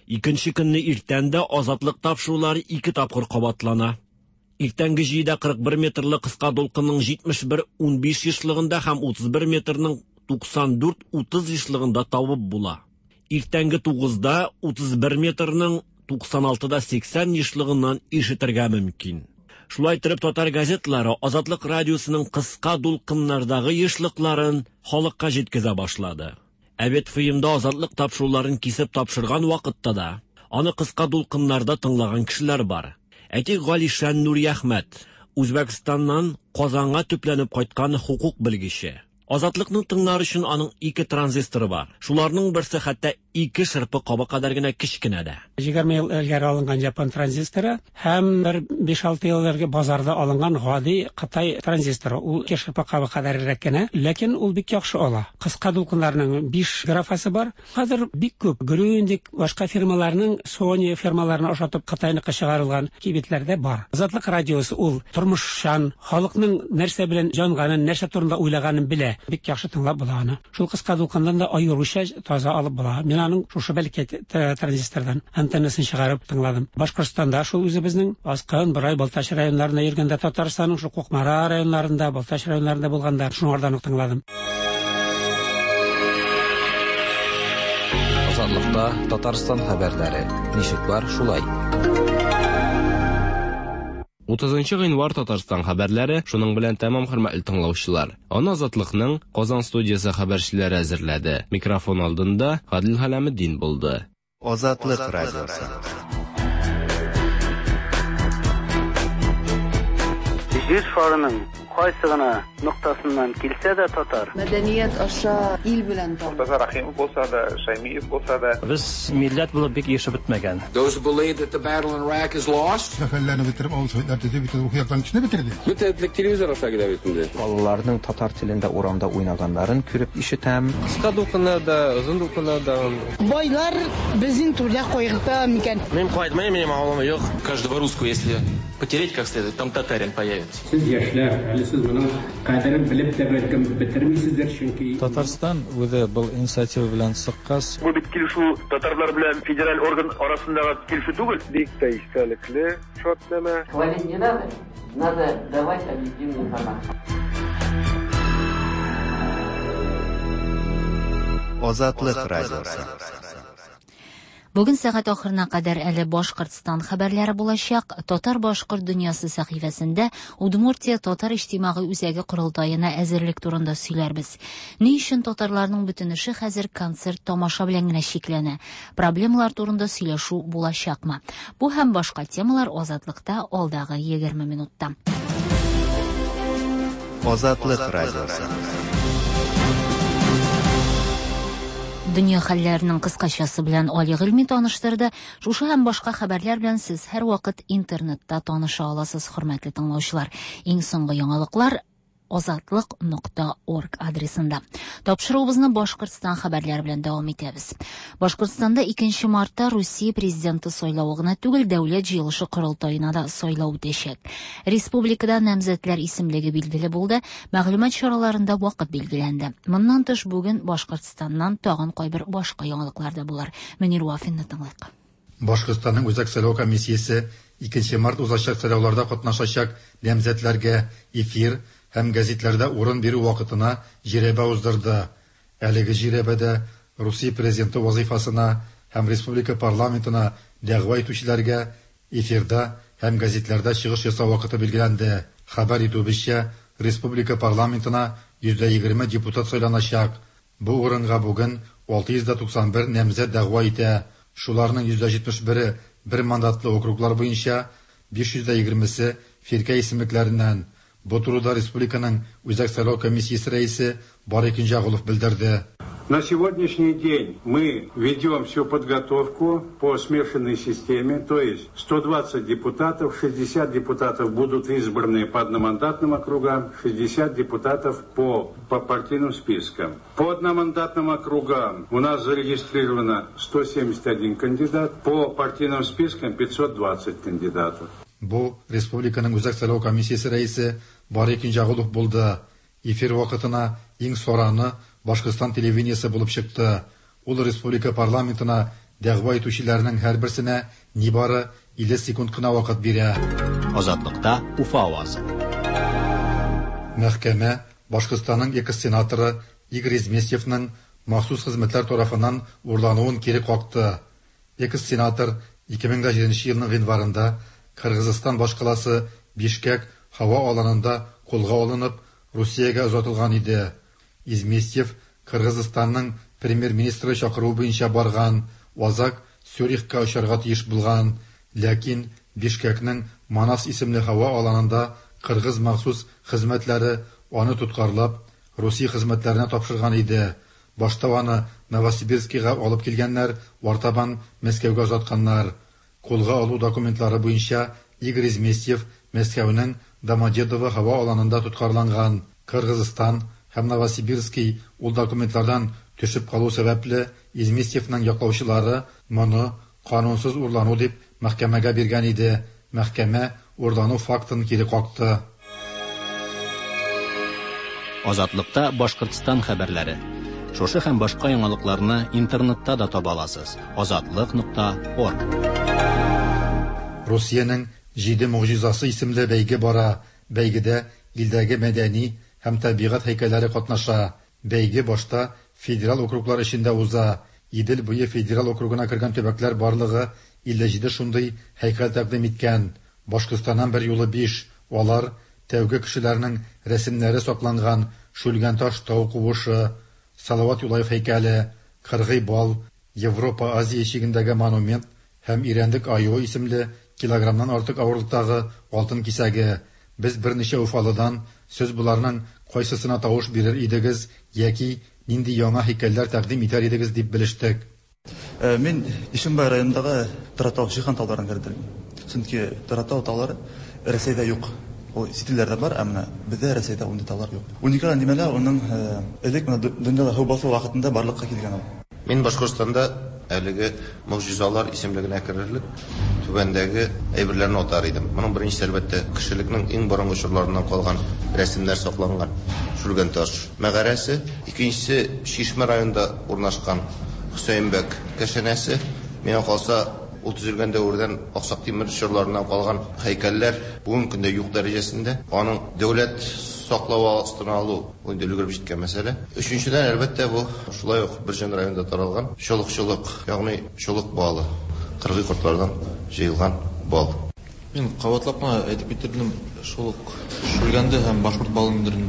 Икенче көнне иртән дә Азатлык тапшырулары ике тапкыр кабатлана. Иртәнге җидедә кырык бер метрлы кыска дулкынның җитмеш бер унбиш ешлыгында һәм утыз бер метрның туксан дүрт утыз ешлыгында табып була. Иртәнге тугызда утыз бер метрның туксан алтыда сиксән ешлыгыннан ишетергә мөмкин. Шулай итеп татар газетлары Азатлык радиосының кыска дулкыннардагы ешлыкларын халыкка җиткезә башлады. Ә бит фильмда Азатлык тапшыруларын кисеп тапшырган вакытта да аны кыска дулкыннарда тыңлаган кешеләр бар. Әйтик, Галишан Нуриәхмәт, Үзбәкстаннан Казанга төпләнеп кайткан хукук белгече. Азатлыкны тыңлар өчен аның ике транзисторы бар. Шуларның берсе хәтта ике шырпы кабы кадәр генә кечкенә дә. Егерме ел элгәре алынган япон транзисторы һәм бер биш-алты ел элгәре базарда алынган гади Кытай транзисторы. Ул ике шырпы кабы кадәррәк кенә, ләкин ул бик яхшы ала. Кыска дулкыннарның биш графасы бар. Хәзер бик күп Грюндик, башка фирмаларның Sony фирмаларына ошатып Кытайныкы чыгарылган кибетләрдә бар. Азатлык радиосы ул тормышчан, халыкның нәрсә белән җанганын, нәрсә турында уйлаганын белә. Бик яхшы тыңлап була аны. Шул кыска дулкыннан да аеруча таза алып була. Мин аның шушы бәлки транзистордан антеннасын чыгарып тыңладым. Башкортстанда шул үзебезнең Аскын, Борай, Балтач районнарында йөргәндә, Татарстанның шул Кукмара районнарында, Балтач районнарында булганда шуңардан ук тыңладым. Азатлыкта Татарстан хәбәрләре. Ничек бар, шулай. Утызынчы гыйнвар Татарстан хәбәрләре шуның белән тәмам, хөрмәтле тыңлаучылар. Аны Азатлыкның Казан студиясе хәбәрчеләре әзерләде. Микрофон алдында Гадил Хәләметдин булды. Азатлык радиосы. Җир шарының Кайсы гына ноктасыннан килсә дә татар. Мәдәният аша ил белән таныш. Мортаза Рахимов булса да, Шаймиев булса да. Без милләт булып бик ешып бетмәгән. Those who believe that the battle in Iraq is lost. Сәфәрләрне бетереп, авыл советлар төзеп, бөтен рухи яктан кешене бетерде. Бөтен телевизор аша килә бит инде. Балаларның татар телендә урамда уйнаганнарын күреп ишетәм. Кыска дулкыннарда, озын дулкыннарда. Байлар безнең турда кайгырта микән? Мин кайтмыйм, минем авылым юк. Каждого русского, если потереть как следует, там татарин появится. Сез яшьләр, әле сез моның кадерен белеп тә бәлкем бетермисездер, чөнки Татарстан үзе был инициатива белән чыккач, бу бит килешү татарлар белән федераль орган арасындагы килешү түгел. Бик тә истәлекле шартнамә. Хвалить не надо, надо давать объективную информацию. Азатлык радиосы. Бүген сәгать ахырына кадәр әле Башкортстан хәбәрләре булачак. Татар-башкорт дөньясы сәхифәсендә Удмуртия татар иҗтимагый үзәге корылтаена әзерлек турында сөйләрбез. Ни өчен татарларның бөтен эше хәзер концерт тамаша белән генә чикләнә? Проблемалар турында сөйләшү булачакмы? Бу һәм башка темалар Азатлыкта алдагы егерме минутта. Азатлык радиосы. Дөнья хәлләренең кыскачасы белән Али Гыйльми таныштырды. Шушы һәм башка хәбәрләр белән сез һәрвакыт интернетта таныша аласыз, хөрмәтле тыңлаучылар. Иң соңгы яңалыклар азатлык нокта орг адресында. Тапшыруыбызны Башкортстан хәбәрләре белән дәвам итәбез. Башкортстанда икенче мартта Русия президенты сайлавы гына түгел, дәүләт җыелышы корылтаена да сайлау үтәчәк. Республикада намзәтләр исемлеге билгеле булды, мәгълүмат чараларында вакыт билгеләнде. Моннан тыш бүген Башкортстаннан тагын кайбер башка яңалыклар да булыр. Мөнир Вафинны тыңлыйк. Башкортстанның Үзәк сайлау комиссиясе икенче март узачак сайлауларда катнашачак намзәтләргә эфир һәм гәзитләрдә урын бирү вакытына җирәбә уздырды. Әлеге җирәбәдә Русия президенты вазифасына һәм республика парламентына дәгъва итүчеләргә эфирда һәм гәзитләрдә чыгыш ясау вакыты билгеләнде. Хәбәр итүебезчә, республика парламентына йөз егерме депутат сайланачак. Бу урынга бүген алты йөз туксан бер намзәт дәгъва итә. Шуларның йөз җитмеш бере бер мандатлы округлар буенча, биш йөз егермесе фиркә исемлекләреннән. Бу турыда республиканың Үзәк сайлау комиссиясе рәисе Барый Кинҗәгулов белдерде. На сегодняшний день мы ведем всю подготовку по смешанной системе, то есть сто двадцать депутатов, шестьдесят депутатов будут избраны по одномандатным округам, шестьдесят депутатов по, по партийным спискам. По одномандатным округам у нас зарегистрировано сто семьдесят один кандидат, по партийным спискам пятьсот двадцать кандидатов. Бу республиканың Үзәк сайлау комиссиясе рәисе Барый Кинҗәгулов булды. Эфир вакытына иң сораны Башкортстан телевидениесе булып чыкты. Ул республика парламентына дәгъва итүчеләрнең һәрберсенә нибары илле секунд кына вакыт бирә. Азатлыкта Уфа авазы. Мәхкәмә Башкортстанның экс-сенаторы Игорь Изместьевның махсус хезмәтләр тарафыннан урлануын кире какты. Экс-сенатор ике мең җиденче елның гыйнварында Кыргызстан башкаласы Бишкек һава аланында кулга алынып, Русиягә озатылган иде. Изместьев Кыргызстанның премьер-министры чакыруы буенча барган, Азак Цюрихка очарга тиеш булган, ләкин Бишкекнең Манас исемле һава аланында кыргыз махсус хезмәтләре аны тоткарлап, Русия хезмәтләренә тапшырган иде. Башта аны Новосибирскига алып килгәннәр, артабан Мәскәүгә озатканнар. Кулга алу документлары буенча Игорь Изместьев Мәскәүнең Домодедово һава аланында тоткарланган. Кыргызстан һәм Новосибирский ул документлардан төшеп калу сәбәпле Изместьевның яклаучылары моны канунсыз урлану дип мәхкәмәгә биргән иде. Мәхкәмә урлану фактын кире какты. Азатлыкта Башкортстан хәбәрләре. Шушы һәм башка яңалыкларны интернетта да таба аласыз. азатлык нокта орг. Русиянең Җиде могҗизасы исемле бәйге бара. Бәйгедә илдәге мәдәни һәм табигать һәйкәлләре катнаша. Бәйге башта федераль округлар эчендә уза. Идел буе федераль округына кергән төбәкләр барлыгы илле җиде шундый һәйкәл тәкъдим иткән. Башкортстаннан бер юлы биш. Алар тәүге кешеләрнең рәсемнәре сакланган Шүлгәнташ тау куышы, Салават Юлаев һәйкәле, Кыргый бал, Европа Азия чигендәге монумент һәм Ирәндек аюы исемле килограммнан артык авырлыктагы алтын кисәге. Без берничә уфалыдан Сез боларның кайсысына тавыш бирер идегез яки нинди яңа һәйкәлләр тәкъдим итәр идегез дип белештек. Мин Ишембай районындагы Торатау Шихан тауларын кердем. Чөнки Торатау таулары Рәсәйдә юк. Ул чит илләрдә бар, ә менә бездә Рәсәйдә ундый таулар юк. Уникаль нимәләр уның элек менә дөньяда һу басу вакытында барлыкка килгән ул. Мин Башкортстанда әлеге могҗизалар исемлегенә керерлек түбәндәге әйберләрне атар идем. Моның беренчесе, әлбәттә, кешелекнең иң борынгы чорларыннан калган рәсемнәр сакланган Шүлгәнташ мәгарәсе, икенчесе Чишмә районында урнашкан Хөсәенбәк кәшәнәсе. Миңа калса, ул төзелгән дәвердән Аксак Тимер чорларыннан калган һәйкәлләр бүгенге көндә юк дәрәҗәсендә. Аның дәүләт саклавы астына алу ул инде өлгереп җиткән мәсьәлә. Өченчедән, әлбәттә, бу шулай ук Бөрҗән районында таралган чолыкчылык, ягъни чолык балы, кыргый кортлардан җыелган бал. Мин кабатлап кына әйтеп китердем, шул ук Шүлгәнде һәм башкорт балын.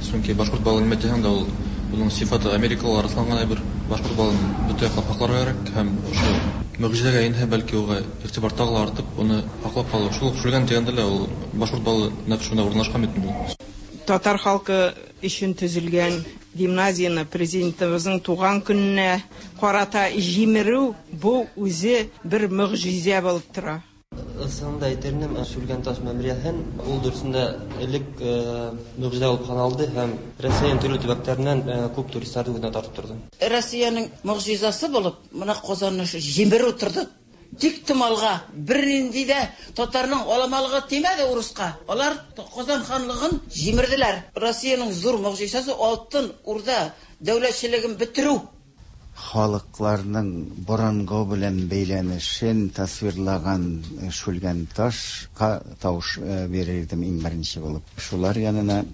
Чөнки башкорт балын нимә дигән дә ул буның сифаты Америкалар расланган әйбер. Башкорт балын бөтен яклап һакларга кирәк һәм ошо могҗизәгә инде бәлки уга игътибар тагы ла артып, уны һаклап калу. Шул ук Шүлгән дигәндә лә ул башкорт балы нәкъ шунда урнашкан бит инде. Татар халкы өчен төзелгән гимназияне президентыбызның туган көненә карата җимерү бу үзе бер могҗизә булып тора. Ысында әйтернем, Шүлгәнташ мемориалын ул дөресендә элек могҗизә булып саналды һәм Россиянең төрле төбәкләреннән күп туристларны үзенә тартып торды. Россиянең могҗизасы булып, менә Казанны җимерү торды. Тик томалга бернинди дә татарның аламалыгы тимәде урыска. Алар Казан ханлыгын җимерделәр. Россиянең зур могҗизасы Алтын Урда дәүләтчелеген бетерү. Халыкларның борынгы белән бәйләнешен тасвирлаган Шүлгәнташка тавыш бирер идем иң беренче булып. Шулар янына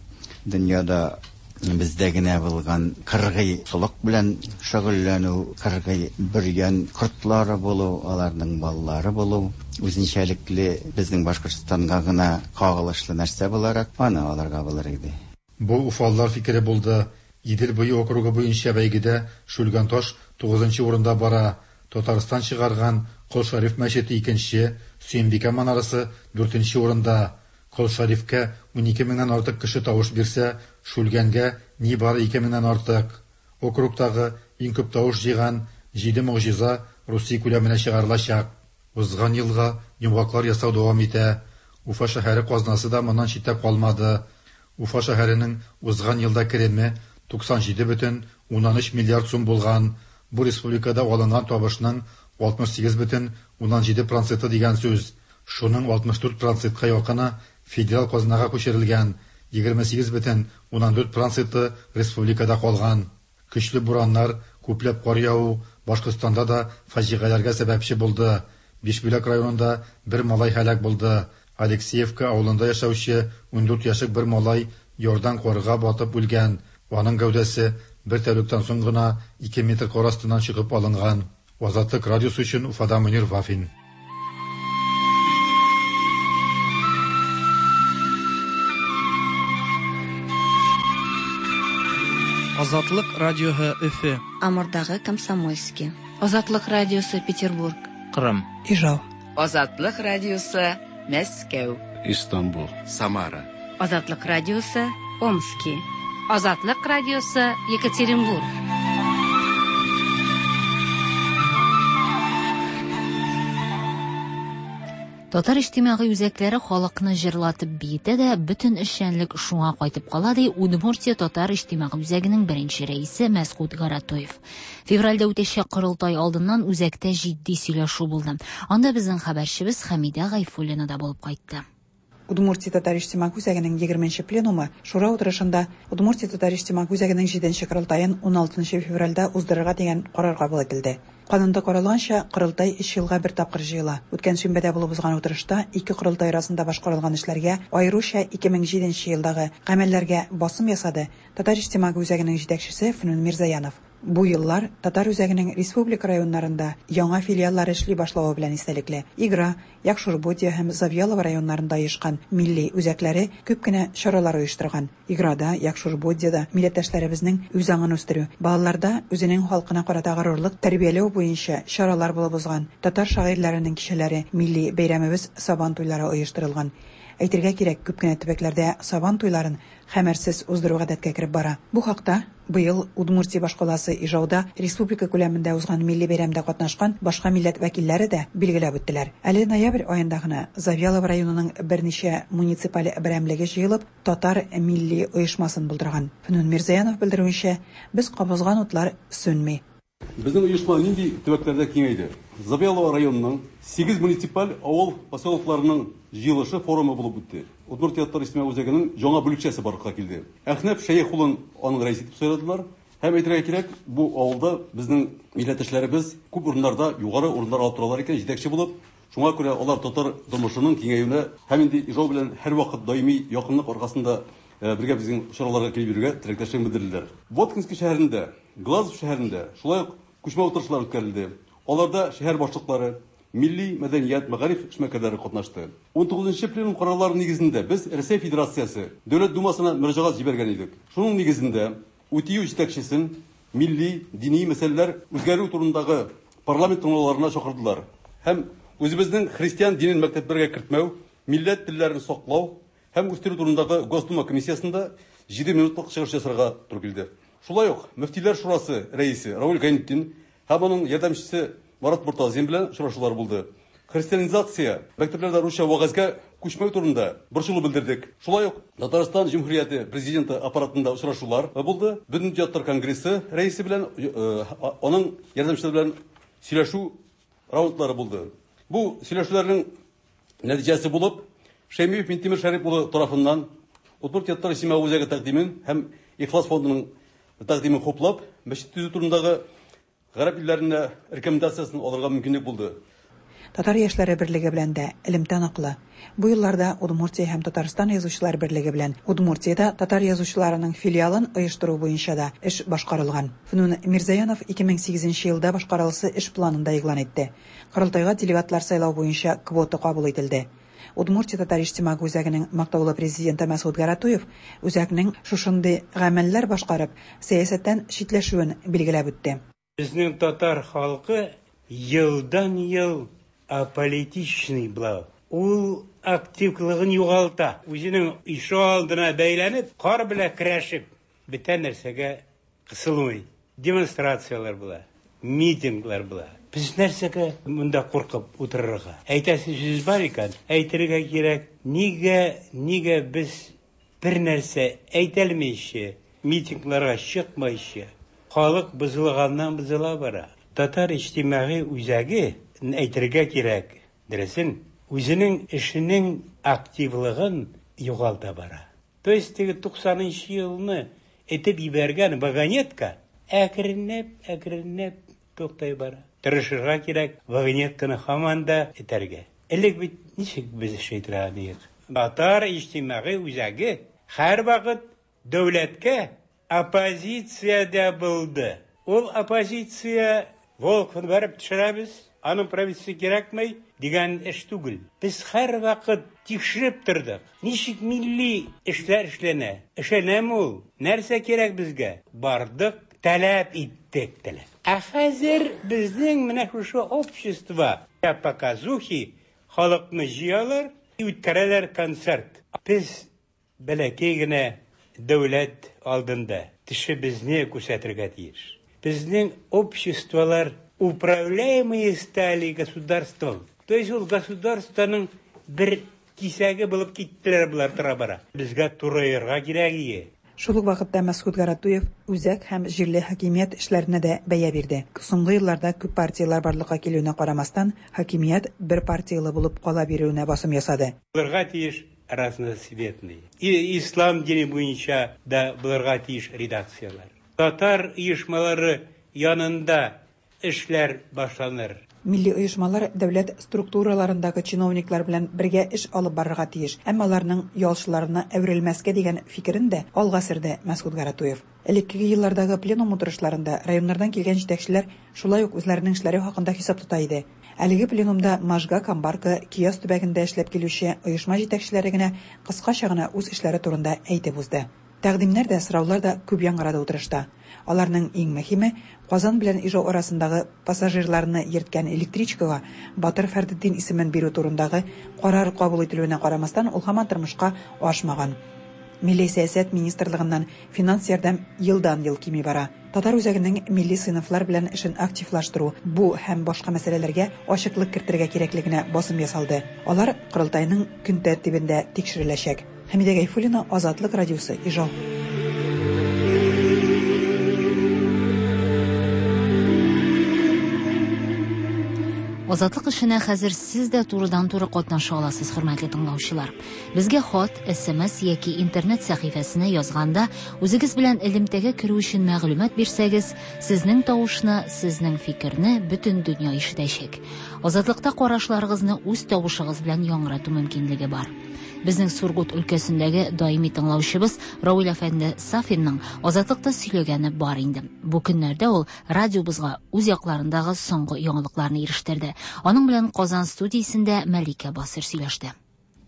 дөньяда бездә генә булган кыргый солык белән шөгыльләнү, кыргый бөргән кортлары булу, аларның баллары булу үзенчәлекле безнең Башкортстанга гына кагылышлы нәрсә буларак аны аларга булыр иде. Бу уфалылар фикере булды. Идел буе округы буенча бәйгедә Шүлгәнташ тугызынчы урында бара. Татарстан чыгарган Кол Шариф мәчете икенче, Сөембикә манарасы дүртенче урында. Кол Шарифкә унике меңнән артык кеше тавыш бирсә, Шүлгәнгә нибары ике меңнән артык. Округтагы иң күп тавыш җыйган җиде могҗиза Русия күләменә чыгарылачак. Узган елга йомгаклар ясау дәвам итә. Уфа шәһәре казнасы да моннан читтә калмады. Уфа шәһәренең узган елда кереме туксан җиде бөтен уннан өч миллиард сум булган. Бу республикада алынган табышның алтмыш сигез бөтен уннан җиде проценты дигән сүз. Шуның алтмыш дүрт процентка якыны федераль казнага күчерелгән, егерме сигез бөтен уннан дүрт проценты республикада калган. Көчле бураннар, күпләп кар яву Башкортстанда да фаҗигаләргә сәбәпче булды. Бишбүләк районында бер малай һәлак булды. Алексеевка авылында яшәүче ундүрт яшьлек бер малай ярдан карга батып үлгән. Аның гәүдәсе бер тәүлектән соң гына ике метр кар астыннан чыгып алынган. Азатлык радиосы өчен Уфада Мөнир Вафин. Азатлык радиоһы Өфө. Амурдагы Комсомольский. Азатлык радиосы Петербург. Кырым. Ижау. Азатлык радиосы Мәскәү. Истанбул. Самара. Азатлык радиосы Омски. Азатлык радиосы Екатеринбург. Татар иҗтимагый үзәкләре халыкны җырлатып биетә дә, бөтен эшчәнлек шуңа кайтып кала, ди Удмуртия Татар иҗтимагый үзәгенең беренче рәисе Мәсгут Гаратоев. Февральдә үтәчәк корылтай алдыннан үзәктә җитди сөйләшү булды. Анда безнең хәбәрчебез Хәмидә Гайфуллина да булып кайтты. Удмуртия Татар иҗтимагый үзәгенең егерменче пленумы Шура утырышында Удмуртия Татар иҗтимагый үзәгенең җиденче корылтаен уналтынчы февральдә уздырырга дигән карар кабул ителде. Канунда каралганча, корылтай өч елга бер тапкыр җыела. Үткән шимбәдә булып узган утырышта ике корылтай арасында башкарылган эшләргә, аеруча ике мең җиденче елдагы гамәлләргә басым ясады Татар иҗтимагый үзәгенең җитәкчесе Фнүн Мирзаянов. Бу еллар Татар үзәгенең республика районнарында яңа филиаллар эшли башлавы белән истәлекле. Игра, Якшурбодия һәм Завьялово районнарында оешкан милли үзәкләре күп кенә чаралар оештырган. Играда, Якшурбодияда милләттәшләребезнең үз аңын үстерү, балаларда үзенең халкына карата горурлык тәрбияләү буенча чаралар булып узган. Татар шагыйрьләренең кичәләре, милли бәйрәмебез Сабан туйлары оештырылган. Әйтергә кирәк, күп кенә төбәкләрдә Сабан туйларын хәмерсез уздыру гадәткә кереп бара. Бу хакта быел Удмуртия башкаласы Ижауда республика күләмендә узган милли бәйрәмдә катнашкан башка милләт вәкилләре дә билгеләп үттеләр. Әле ноябрь аенда гына Завьялово районының берничә муниципаль берәмлеге җыелып, татар милли оешмасын булдырган. Фнүн Мирзаянов белдерүенчә, без кабызган утлар сүнми. Безнең оешма нинди төбәкләрдә киңәйде? Завьялово районының сигез муниципаль авыл поселокларының җыелышы форумы булып үтте. Удмуртия татар иҗтимагый үзәгенең яңа бүлекчәсе барлыкка килде. Әхнәф Шәехулын аның рәисе итеп сайладылар. Һәм әйтергә кирәк, бу авылда безнең милләттәшләребез күп урыннарда югары урыннар алып торалар икән, җитәкче булып. Шуңа күрә алар татар тормышының киңәюенә һәм инде Ижау белән һәрвакыт даими якынлык аркасында бергә безнең чараларга килеп йөрергә теләктәшлек белдерделәр. Воткинск шәһәрендә, Глазов шәһәрендә шулай ук күчмә утырышлар үткәрелде. Аларда шәһәр башлыклары, милли мәдәният, мәгариф эшмәкәрләре катнашты. ун тугызынчы пленум карарлары нигезендә без Рәсәй Федерациясе Дәүләт Думасына мөрәҗәгать җибәргән идек. Шуның нигезендә УТИҮ җитәкчесен милли, дини мәсьәләләр үзгәрү турындагы парламент тыңлауларына чакырдылар. Һәм үзебезнең христиан динен мәктәпләргә кертмәү, милләт телләрен саклау һәм үстерү турындагы Госдума комиссиясендә җиде минутлык чыгыш ясарга туры килде. Шулай ук Мөфтиләр шурасы рәисе Рауль Гайнетдин һәм аның ярдәмчесе Марат Муртазин белән очрашулар булды. Христианизация, мәктәпләрдә русча вәгазьгә күчмәү турында борчылу белдердек. Шулай ук Татарстан Җөмһүрияте президенты аппаратында очрашулар булды. Бөтендөнья татар конгрессы рәисе белән аның ярдәмчеләре белән сөйләшү раундлары булды. Бу сөйләшүләрнең нәтиҗәсе булып Шәймиев Минтимер Шәрип улы тарафыннан Удмуртия татар иҗтимагый үзәге тәкъдимен һәм Ихлас фондының тәкъдимен хуплап, мәчет төзү турындагы гарәп илләренә рекомендациясын алырга мөмкинлек булды. Татар яшьләре берлеге белән дә элемтә ныклы. Бу елларда Удмуртия һәм Татарстан язучылар берлеге белән Удмуртиядә татар язучыларының филиалын оештыру буенча да эш башкарылган. Фнүн Мирзаянов ике мең сигезенче елда башкарыласы эш планында игълан итте. Корылтайга делегатлар сайлау буенча квота кабул ителде. Удмуртия татар иҗтимагый үзәгенең мактаулы президенты Мәсгут Гаратуев үзәкнең шушындый гамәлләр башкарып, сәясәттән читләшүен билгеләп үтте. Безнең татар халкы елдан-ел аполитичный була. Ул активлыгын югалта. Үзенең ишегалдына бәйләнеп, кар белән көрәшеп, бөтен нәрсәгә кысылмый. Демонстрацияләр була, митинглар була. Без нәрсәгә монда куркып утырырга? Әйтәсе сүз бар икән, әйтергә кирәк. Нигә, нигә без бер нәрсә әйтәлмичә, митингларга чыкмыйча, халык бозылганнан бозыла бара. Татар иҗтимагый үзәге әйтергә кирәк, дөресен, үзенең эшенең активлыгын югалта бара. То есть теге туксанынчы елны этеп җибәргән вагонетка әкренләп, әкренләп туктай бара. Тырышырга кирәк, вагонетканы һаман да этәргә. Элек бит ничек без эш итә идек? Татар иҗтимагый үзәге һәрвакыт дәүләткә оппозициядә булды. Ул оппозиция Волковны барып төшерәбез, аның правительствосы кирәкмәй дигән эш түгел. Без һәрвакыт тикшереп тордык. Ничек милли эшләр эшләнә? Эшләнәме ул? Нәрсә кирәк безгә? Бардык, таләп иттек, таләп. Ә хәзер безнең менә шушы общество показухи халыкны җыялар, үткәрәләр концерт. Без бәләкәй генә дәүләт алдында тешебезне күрсәтергә тиеш. Безнең обществолар управляемые стали государством. То есть ул государствоның бер кисәге булып киттеләр булар тора-бара. Безгә турайырга кирәк ие. Шул ук вакытта Мәсгут Гаратуев үзәк һәм җирле хакимият эшләренә дә бәя бирде. Соңгы елларда күп партияләр барлыкка килүенә карамастан, хакимият бер партиялы булып кала бирүенә басым ясады. Булырга тиеш разноцветный. И ислам дине буенча да булырга тиеш редакцияләр. Татар оешмалары янында эшләр башланыр. Милли оешмалар дәүләт структураларындагы чиновниклар белән бергә эш алып барырга тиеш, әмма аларның ялчыларына әверелмәскә дигән фикерен дә алга сөрде Мәсгут Гаратуев. Элеккеге еллардагы пленум утырышларында районнардан килгән җитәкчеләр шулай ук үзләренең эшләре хакында хисап тота иде. Әлеге пленумда Можга, Камбарка, Кияс төбәгендә эшләп килүче оешма җитәкчеләре генә кыскача гына үз эшләре турында әйтеп узды. Тәкъдимнәр дә, сораулар да күп яңгырады утырышта. Аларның иң мөһиме Казан белән Ижау арасындагы пассажирларны йөрткән электричкага Батыр Фәрдетдин исемен бирү турындагы карар кабул ителүенә карамастан, ул һаман тормышка ашмаган. Милли сәясәт министрлыгыннан финанс ярдәм елдан-ел кими бара. Татар үзәгенең милли сыйныфлар белән эшен активлаштыру, бу һәм башка мәсьәләләргә ачыклык кертергә кирәклегенә басым ясалды. Алар Корылтайның көн тәртибендә тикшереләчәк. Хәмидә Гайфуллина, Азатлык радиосы, Ижау. Азатлык эшенә хәзер сез дә турыдан-туры катнаша аласыз, хөрмәтле тыңлаучылар. Безгә хат, эс эм эс яки интернет сәхифәсенә язганда үзегез белән элемтәгә керү өчен мәгълүмат бирсәгез, сезнең тавышны, сезнең фикерне бөтен дөнья ишетәчәк. Азатлыкта карашларыгызны үз тавышыгыз белән яңгырату мөмкинлеге бар. Безнең Сургут өлкәсендәге даими тыңлаучыбыз Равил әфәнде Сафинның Азатлыкта сөйләгәне бар инде. Бу көннәрдә ул радиобызга үз якларындагы соңгы яңалыкларны ирештерде. Аның белән Казан студиясендә Мәликә Басыр сөйләште.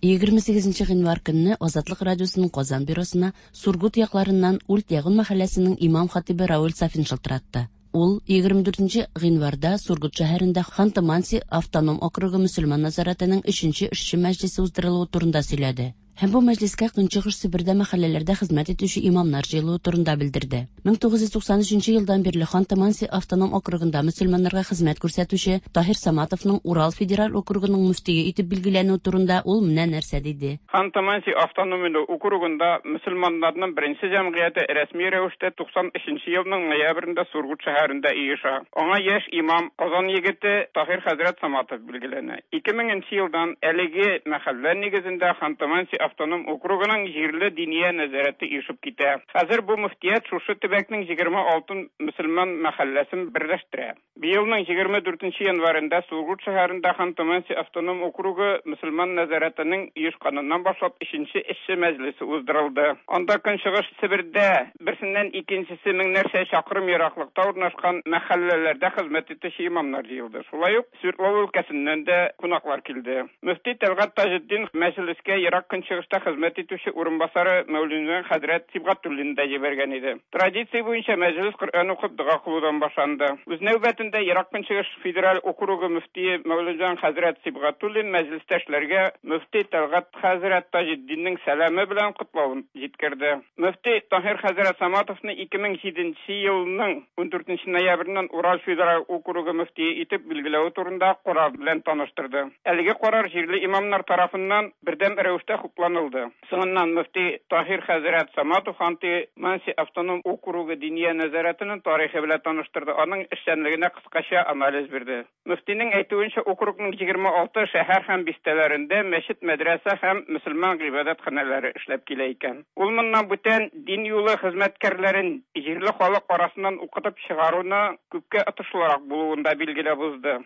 егерме сигезенче гыйнвар көнне Азатлык радиосының Казан бюросына Сургут якларыннан Ульт Ягун мәхәлләсенең имам хатибы Равил Сафин шылтыратты. Ул егерме дүртенче гыйнварда Сургут шәһәрендә Ханты-Манси автоном округы мөселман назаратының өченче эшче мәҗлесе уздырылуы турында сөйләде. Һәм бу мәҗлескә Көнчыгыш Себердә мәхәлләләрдә хезмәт итүче имамнар җыелуы турында белдерде. мең тугыз йөз туксан өченче елдан бирле Ханты-Манси автоном округында мөселманнарга хезмәт күрсәтүче Таһир Саматовның Урал федераль округының мөфтие итеп билгеләнүе турында ул менә нәрсә диде. Ханты-Манси автоном округында мөселманнарның беренче җәмгыяте рәсми рәвештә туксан өченче елның ноябрендә Сургут шәһәрендә оеша. Аңа яшь имам Казан егете Таһир хәзрәт Саматов билгеләнә. ике меңенче елдан әлеге мәхәллә нигезендә Ханты-Манси автоном округының җирле диния нәзарәте оешып китә. Хәзер бу мөфтият шушы төбәкнең егерме алты мөселман мәхәлләсен берләштерә. Быелның егерме дүртенче январендә Сургут шәһәрендә Ханты-Манси автоном округы мөселман нәзарәтенең оешканыннан башлап өченче эшче мәҗлесе уздырылды. Анда Көнчыгыш Себердә берсеннән икенчесе меңнәрчә чакрым ераклыкта урнашкан мәхәлләләрдә хезмәт итүче имамнар җыелды. Шулай ук Свердлов өлкәсеннән дә кунаклар килде. Мөфти Тәлгать Таҗетдин мәҗлескә ерак Көнчыгышта хезмәт итүче урынбасары Мәүлүдҗан хәзрәт Сибгатуллин да җибәргән иде. Традиция буенча мәҗлес Коръән укып дога кылудан башланды. Үз нәүбәтендә Ерак Көнчыгыш федераль округы мөфтие Мәүлүдҗан хәзрәт Сибгатуллин мәҗлестәшләргә мөфти Тәлгать хәзрәт Таҗетдиннең сәламе белән котлавын җиткерде. Мөфти Таһир хәзрәт Саматовны ике мең җиденче елның ундүртенче ноябреннән Урал федераль округы мөфтие итеп билгеләү турында карар белән таныштырды. Әлеге карар җирле имамнар тарафыннан бердәм рәвештә хупланылды. Соңыннан мөфти Таһир хәзрәт Саматов Ханты-Манси автоном округы диния нәзарәтенең тарихы белән таныштырды. Аның эшчәнлегенә кыскача анализ бирде. Мөфтинең әйтүенчә, округның егерме алты шәһәр һәм бистәләрендә мәчет, мәдрәсә һәм мөселман гыйбадәтханәләре эшләп килә икән. Ул моннан бүтән дин юлы хезмәткәрләрен җирле халык арасыннан укытып чыгаруны күпкә отышлырак булуын да билгеләп узды.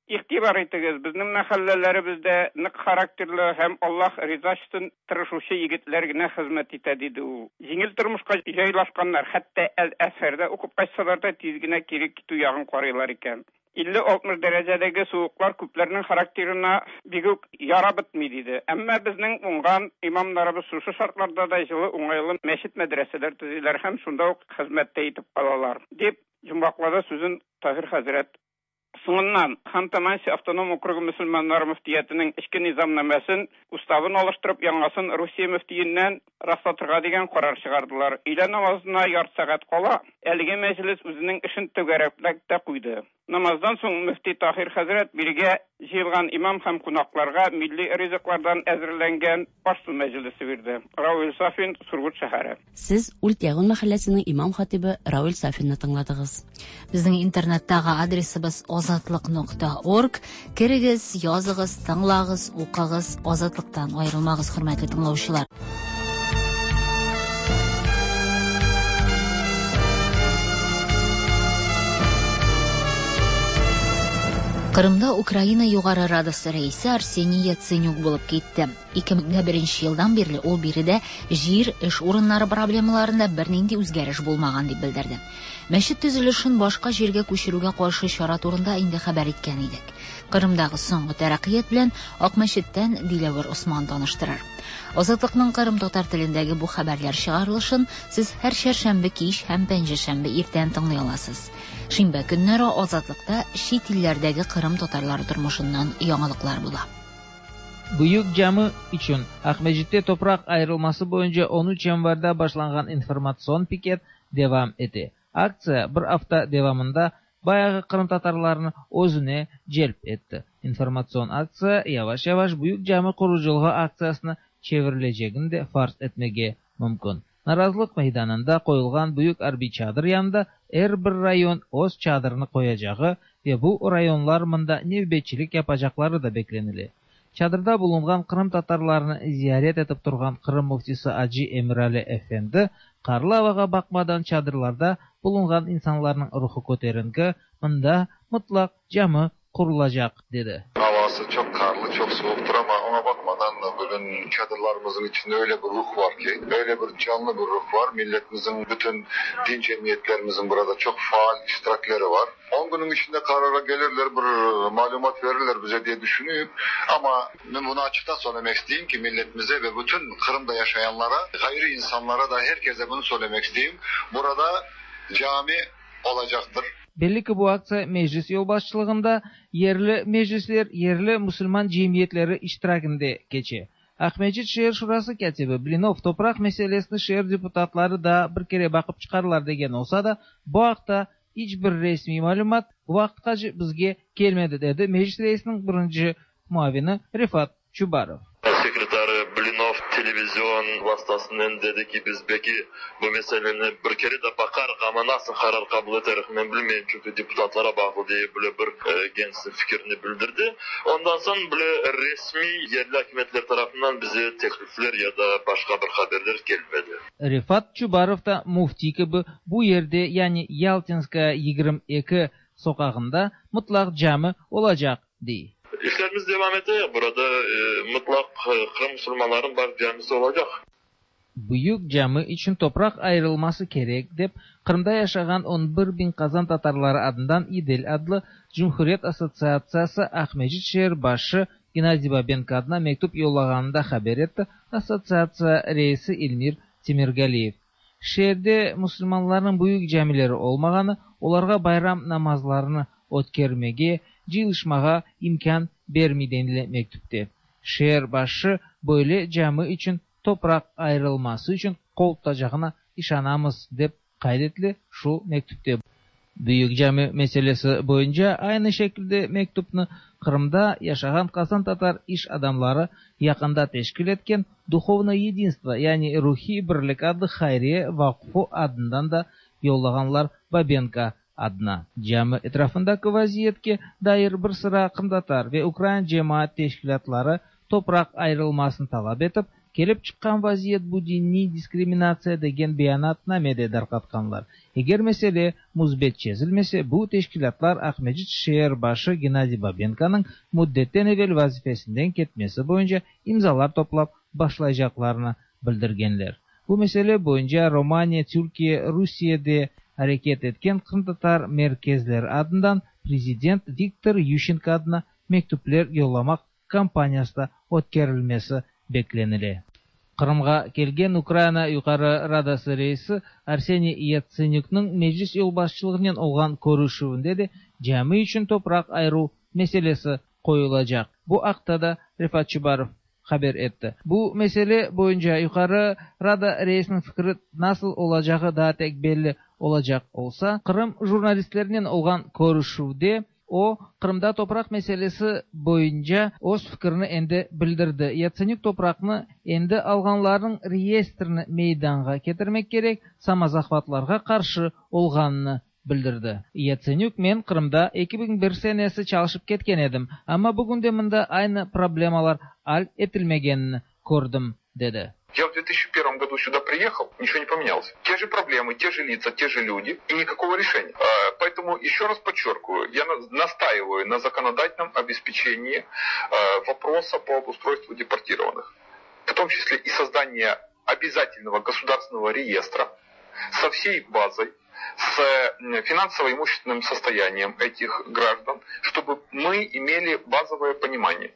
Игътибар итегез, безнең мәхәлләләребездә нык характерлы һәм Аллаһ ризасы өчен тырышучы егетләр генә хезмәт итә, диде ул. Җиңел тормышка җайлашканнар, хәтта Әл-Әзһәрдә укып кайтсалар да тиз генә кире китү ягын карыйлар икән. илле алтмыш дәрәҗәдәге суыклар күпләрнең характерына бик үк ярап бетми, диде. Әмма безнең уңган имамнарыбыз шушы шартларда да җылы, уңайлы мәчет, мәдрәсәләр төзиләр һәм шунда ук хезмәттә итеп калалар, дип йомгаклады сүзен Таһир хәзрәт. Соңыннан Ханты-Манси автоном округы мөселманнары мөфтиятенең эчке низамнамәсен, уставын алыштырып, яңасын Русия мөфтиеннән раслатырга дигән карар чыгардылар. Өйлә намазына ярты сәгать кала, әлеге мәҗлес үзенең эшен түгәрәкләп тә куйды. Намаздан соң мөфти Таһир хәзрәт биргә җыелган имам һәм кунакларга милли ризыклардан әзерләнгән аш-су мәҗлесе бирде. Равил Сафин, Сургут шәһәре. Сез Ульт Ягун мәхәлләсенең имам хатибы Равил Сафинны тыңладыгыз. Безнең интернеттагы адресыбыз азатлык нокта орг. Керегез, языгыз, тыңлагыз, укыгыз, Азатлыктан аерылмагыз, хөрмәтле тыңлаучылар. Кырымда Украина Югары Радасы рәисе Арсений Яценюк булып китте. ике мең беренче елдан бирле ул биредә җир, эш урыннары проблемаларында бернинди үзгәреш булмаган дип белдерде. Мәчет төзелешен башка җиргә күчерүгә каршы чара турында инде хәбәр иткән идек. Кырымдагы соңгы тәрәккыят белән Акмәчеттән Диләвер Осман таныштырыр. Азатлыкның Кырым татар телендәге бу хәбәрләр чыгарылышын сез һәр чәршәмбе кич һәм пәнҗешәмбе иртән тыңлый аласыз. Шимбә көннәре Азатлыкта чит илләрдәге Кырым татарлары тормышыннан яңалыклар була. Büyük cami içün Aqmescitte topraq ayırılması boyunca on üç yanvarda başlanğan informatsion piket devam ete. Aktsiya bir afta devamında bayağı Qırım tatarlarını özüne celp etti. İnformatsion aktsiya yavaş-yavaş Büyük cami qurucılığı aktsiyasına çevrilecegini de farz etmege mümkün. Narazılıq meydanında qoyulğan büyük arbiy çadır yanında er bir rayon öz çadırını qoyacağı ve bu rayonlar mında nevbetçilik yapacaqları da beklenile. Çadırda bulunğan Qırım tatarlarını ziyaret etip turğan Qırım müftisi Acı Emirali Efendi qarlı avağa baqmadan çadırlarda bulunğan insanlarnıñ ruhu köterinki, mında mutlaq cami qurulacaq dedi. Havası çok karlı, çok soğuktur ama ona bakmadan bugün çadırlarımızın içinde öyle bir ruh var ki, öyle bir canlı bir ruh var. Milletimizin, bütün din cemiyetlerimizin burada çok faal iştirakleri var. on günün içinde karara gelirler, bir malumat verirler bize diye düşünüyorum. Ama ben bunu açıktan söylemek isteyeyim ki milletimize ve bütün Kırım'da yaşayanlara, gayri insanlara da herkese bunu söylemek isteyeyim. Burada cami olacaktır. Belli ki bu aktsiya meclis yolbaşçılığında yerli meclisler, yerli musulman cemiyetleri iştirakinde keçe. Aqmescit şeer şurası katibi Blinov topraq meselesini şeer deputatları da bir kere baqıp çıqarlar degen olsa da, bu aqta hiç bir resmiy malümat bu vaqıtqace bizge kelmedi, dedi meclis reisiniñ birinci muavini Refat Çubarov. Sekretarı Blinov televizyon vasıtasından dedi ki biz belki bu meseleni bir kere de bakarıq ama nasıl karar kabul ederiz ben bilmeyeyim çünkü deputatlara bağlı diye böyle bir e, kendisi fikrini bildirdi. Ondan sonra böyle resmi yerli hükümetler tarafından bize teklifler ya da başka bir haberler gelmedi. Refat Çubarov da mufti gibi bu yerde yani Yaltinskaya yigirmi eki sokağında mutlaq cami olacaq dey. İşlerimiz devam ediyor. Burada e, mutlak e, Kırım Müslümanların baş camisi olacak. Büyük cami için topraq ayrılması kerek dep Qırımda yaşağan on bir bin Qazan tatarları adından İdil adlı Cumhuriyet Assotsiatsiyası Aqmescit şeer başı Gennadiy Babenko adına mektup yollağanında haber etti Assotsiatsiya reisi Elmir Temirgaliyev. Şeerde musulmanlarnıñ büyük camileri olmağanı, olarğa bayram namazlarını ötkermege, cıyılışmağa imkân bermey denile mektupte. Şeer başı böyle cami içün topraq ayrılması içün qol tutacağına işanamız dep qayd etile şu mektupte. Büyük cami meselesi boyunca aynı şekilde mektupnı Qırımda yaşağan Qazan tatar iş adamları yaqında teşkil etken Duhovное единство, yani Ruhiy birlik adlı hayriye vaqfı adından da yollağanlar Babenko adına. Cami etrafındaki vaziyetke dair bir sıra qırımtatar ve ukrain cemaat teşkilâtları topraq ayrılmasını talap etip, kelip çıqqan vaziyet bu diniy diskriminatsiya degen beyanatnamede darqatqanlar. Eger mesele müsbet çezilmese, bu teşkilâtlar Aqmescit şeer başı Gennadiy Babenkonıñ müddetten evel vazifesinden ketmesi boyunca imzalar toplap başlayacaqlarını bildirgenler. Bu mesele boyunca Romaniya, Türkiye, Rusiyede areket etken qırımtatar merkezleri adından prezident Viktor Yuşçenko adına mektupler yollamaq kampaniyası da ötkerilmesi beklenile. Qırımğa kelgen Ukraina Yuqarı Radası reisi Arseniy Yatsenükniñ meclis yolbaşçılığınen olğan körüşüvinde de cami içün topraq ayıruv meselesi qoyulacaq. Bu aqta da Refat Çubarov haber etti. Bu mesele boyunca Yuqarı Rada reisiniñ fikri nasıl olacağı daa tek belli olacaq olsa, Qırım jurnalistlerinen olğan körüşüvde o, Qırımda topraq meselesi boyunca öz fikrini endi bildirdi. Yatsenük topraqnı endi alğanlarnıñ reyestrini meydanğa ketirmek kerek, samozahvatlarğa qarşı olğanını bildirdi. Yatsenük, men Qırımda eki biñ bir senesi çalışıp ketken edim, amma bugün de mında aynı problemalar al etilmegenini kördim, dedi. Я в две тысячи первом году сюда приехал, ничего не поменялось. Те же проблемы, те же лица, те же люди и никакого решения. Поэтому еще раз подчеркиваю, я настаиваю на законодательном обеспечении вопроса по обустройству депортированных. В том числе и создание обязательного государственного реестра со всей базой, с финансово-имущественным состоянием этих граждан, чтобы мы имели базовое понимание,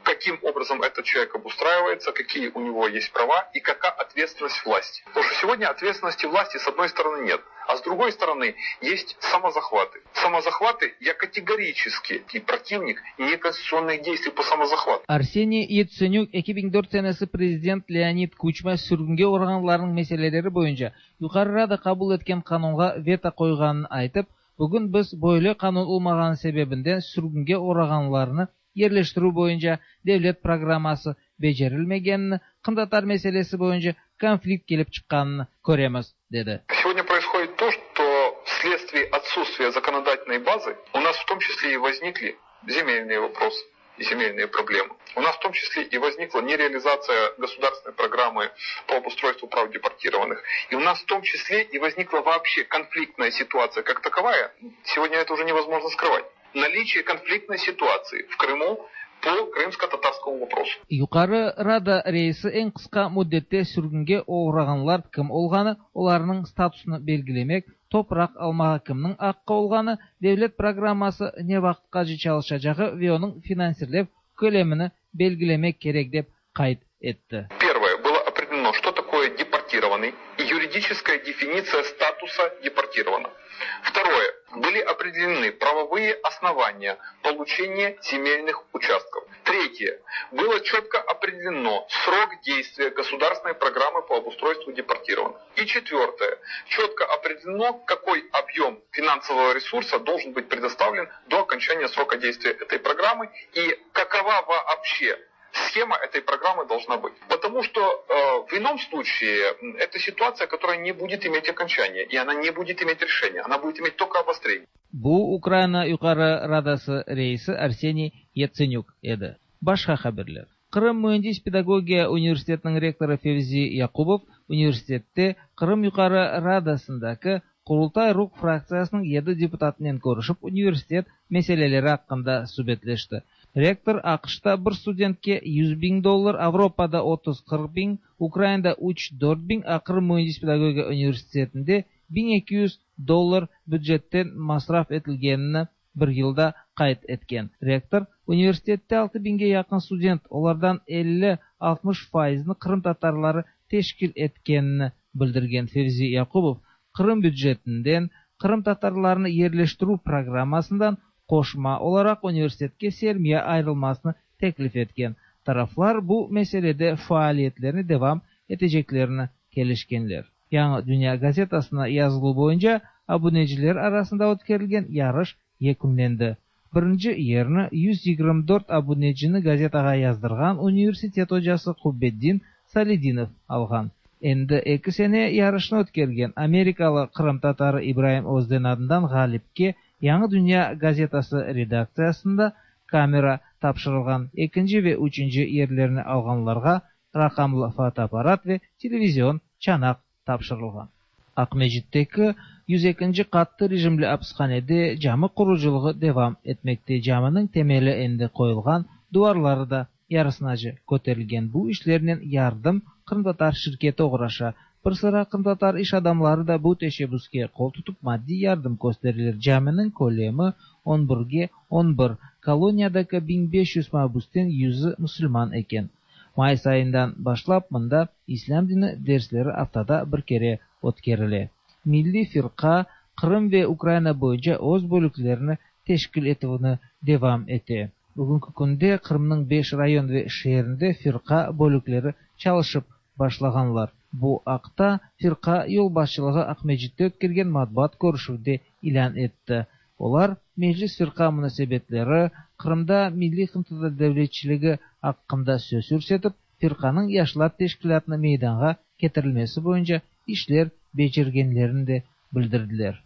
каким образом этот человек обустраивается, какие у него есть права и какая ответственность власти. Потому что сегодня ответственности власти с одной стороны нет, а с другой стороны есть самозахваты. Самозахваты я категорически и противник неконституционных действий по самозахвату. Арсений Яценюк eki ming dört senesi prezident Leonid Kuçma sürgünge oğrağanlarnıñ meseleleri boyunca Yuqarı Rada qabul etken qanunğa veto qoyğanını aytıp, bugün biz böyle qanun olmağanı sebebinden sürgünge oğrağanlarnı yerleştirüv boyunca devlet programması becerilmegenini, qırımtatar meselesi boyunca konflikt kelip çıqqanını köremiz, dedi. Сегодня происходит то, что вследствие отсутствия законодательной базы у нас в том числе и возникли земельные вопросы и земельные проблемы. У нас в том числе и возникла нереализация государственной программы по обустройству прав депортированных. И у нас в том числе и возникла вообще конфликтная ситуация как таковая. Сегодня это уже невозможно скрывать. Наличие конфликтной ситуации в Крыму по крымско-татарскому вопросу. Yuqarı Rada reisi eñ qısqa müddette sürgünge oğrağanlar kim olğanı, olarnıñ statusını belgilemek, topraq almağa kimniñ aqqı olğanı, devlet programması ne vaqıtqace çalışacağı ve onıñ finansirlev kölemini belgilemek kerek dep qayd etti. Первое, было определено, что такое депортированный и юридическая дефиниция статуса депортированного. Второе, были определены правовые основания получения земельных участков. Третье, было четко определено срок действия государственной программы по обустройству депортированных. И четвертое, четко определено, какой объем финансового ресурса должен быть предоставлен до окончания срока действия этой программы и какова вообще схема этой программы должна быть. Потому что э, в ином случае это ситуация, которая не будет иметь окончания, и она не будет иметь решения, она будет иметь только обострение. Bu Ukraina Yuqarı Radası reisi Arseniy Yatsenük edi. Başqa haberler. Qırım müendis pedagogiya universitetiniñ rektorı Fevzi Yaqubov universitette Qırım Yuqarı Radasındaki Qurultay Ruh fraktsiyasınıñ yedi deputatınen körüşip universitet meseleleri aqqında subetleşti. Rektor AQŞta bir studentke yüz biñ dollar, Avropada otuz qırq biñ, Ukrainada üç dört biñ, a Qırım müendis pedagogiya universitetinde biñ eki yüz dollar bücetten masraf etilgenini bir yılda qayd etken. Rektor universitette altı biñge yaqın student, olardan elli altmış faizni Qırım tatarları teşkil etkenini bildirgen Fevzi Yaqubov Qırım bücetinden Qırım tatarlarını yerleştirüv programmasından qoşma olaraq universitetke sermiya ayırılmasını teklif etken. Taraflar bu meselede faaliyetlerini devam eteceklerini kelişkenler. Yañı Dünya gazetasına yazıluv boyunca abuneciler arasında ötkerilgen yarış yekünlendi. Birinci yerni yüz yigirmi dört abunecini gazetağa yazdırğan universitet ocası Qubbeddin Salidinov alğan. Endi eki sene yarışnı ötkergen Amerikalı qırımtatarı İbrahim Özden adından ğalipke Yañı Dünya gazetası redaktsiyasında kamera tapşırılğan. Ekinci ve üçünci yerlerini alğanlarğa raqamlı fotoapparat ve televizion çanaq tapşırılğan. Aqmescitteki yüz ekinci qattı rejimli apishanede cami qurucılığı devam etmekte. Caminiñ temeli endi qoyulğan, duvarları da yarısınace köterilgen. Bu işlernen yardım qırımtatar şirketi oğraşa. Bir sıra qırımtatar iş adamları da bu teşebbüske qol tutıp maddiy yardım köstereler. Caminiñ kölemi on birge on bir. Koloniyadaki biñ beş yüz mabüsten yüzü musulman eken. Mayıs ayından başlap mında İslâm dini dersleri aftada bir kere ötkerile. Milliy firqa Qırım ve Ukraina boyunca öz bölüklerini teşkil etüvini devam ete. Bugünki künde Qırımnıñ beş rayon ve şeerinde firqa bölükleri çalışıp başlağanlar. Bu aqta firqa yolbaşçılığı Aqmescitte ötkergen matbuat körüşüvde ilân etti. Olar Meclis firqa munasebetleri, Qırımda milliy qırımtatar devletçiligi aqqında söz yürsetip, firqanıñ yaşlar teşkilâtını meydanğa ketirilmesi boyunca işler becergenlerini de bildirdiler.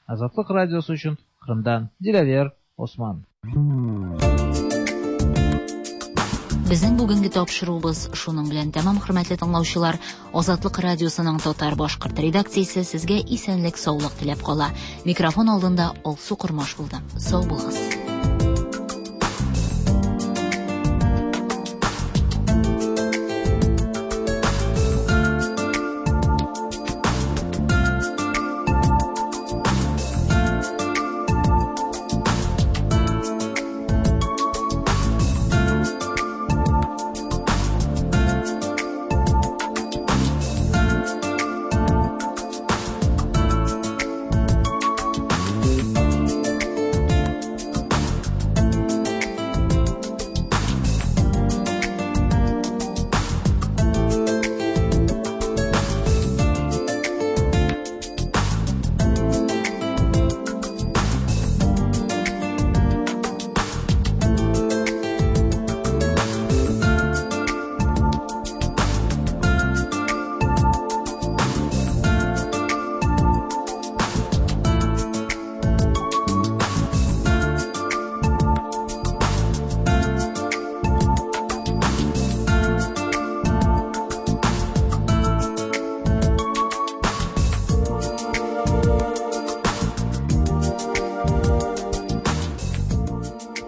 Azatlıq Radiosı içün Qırımdan Dilâver Osman. Безнең бүгенге тапшыруыбыз шуның белән тәмам, хөрмәтле тыңлаучылар. Азатлык радиосының татар башкорт редакциясе сезгә исәнлек, саулык теләп кала. Микрофон алдында Алсу Кормаш булды. Сау булыгыз.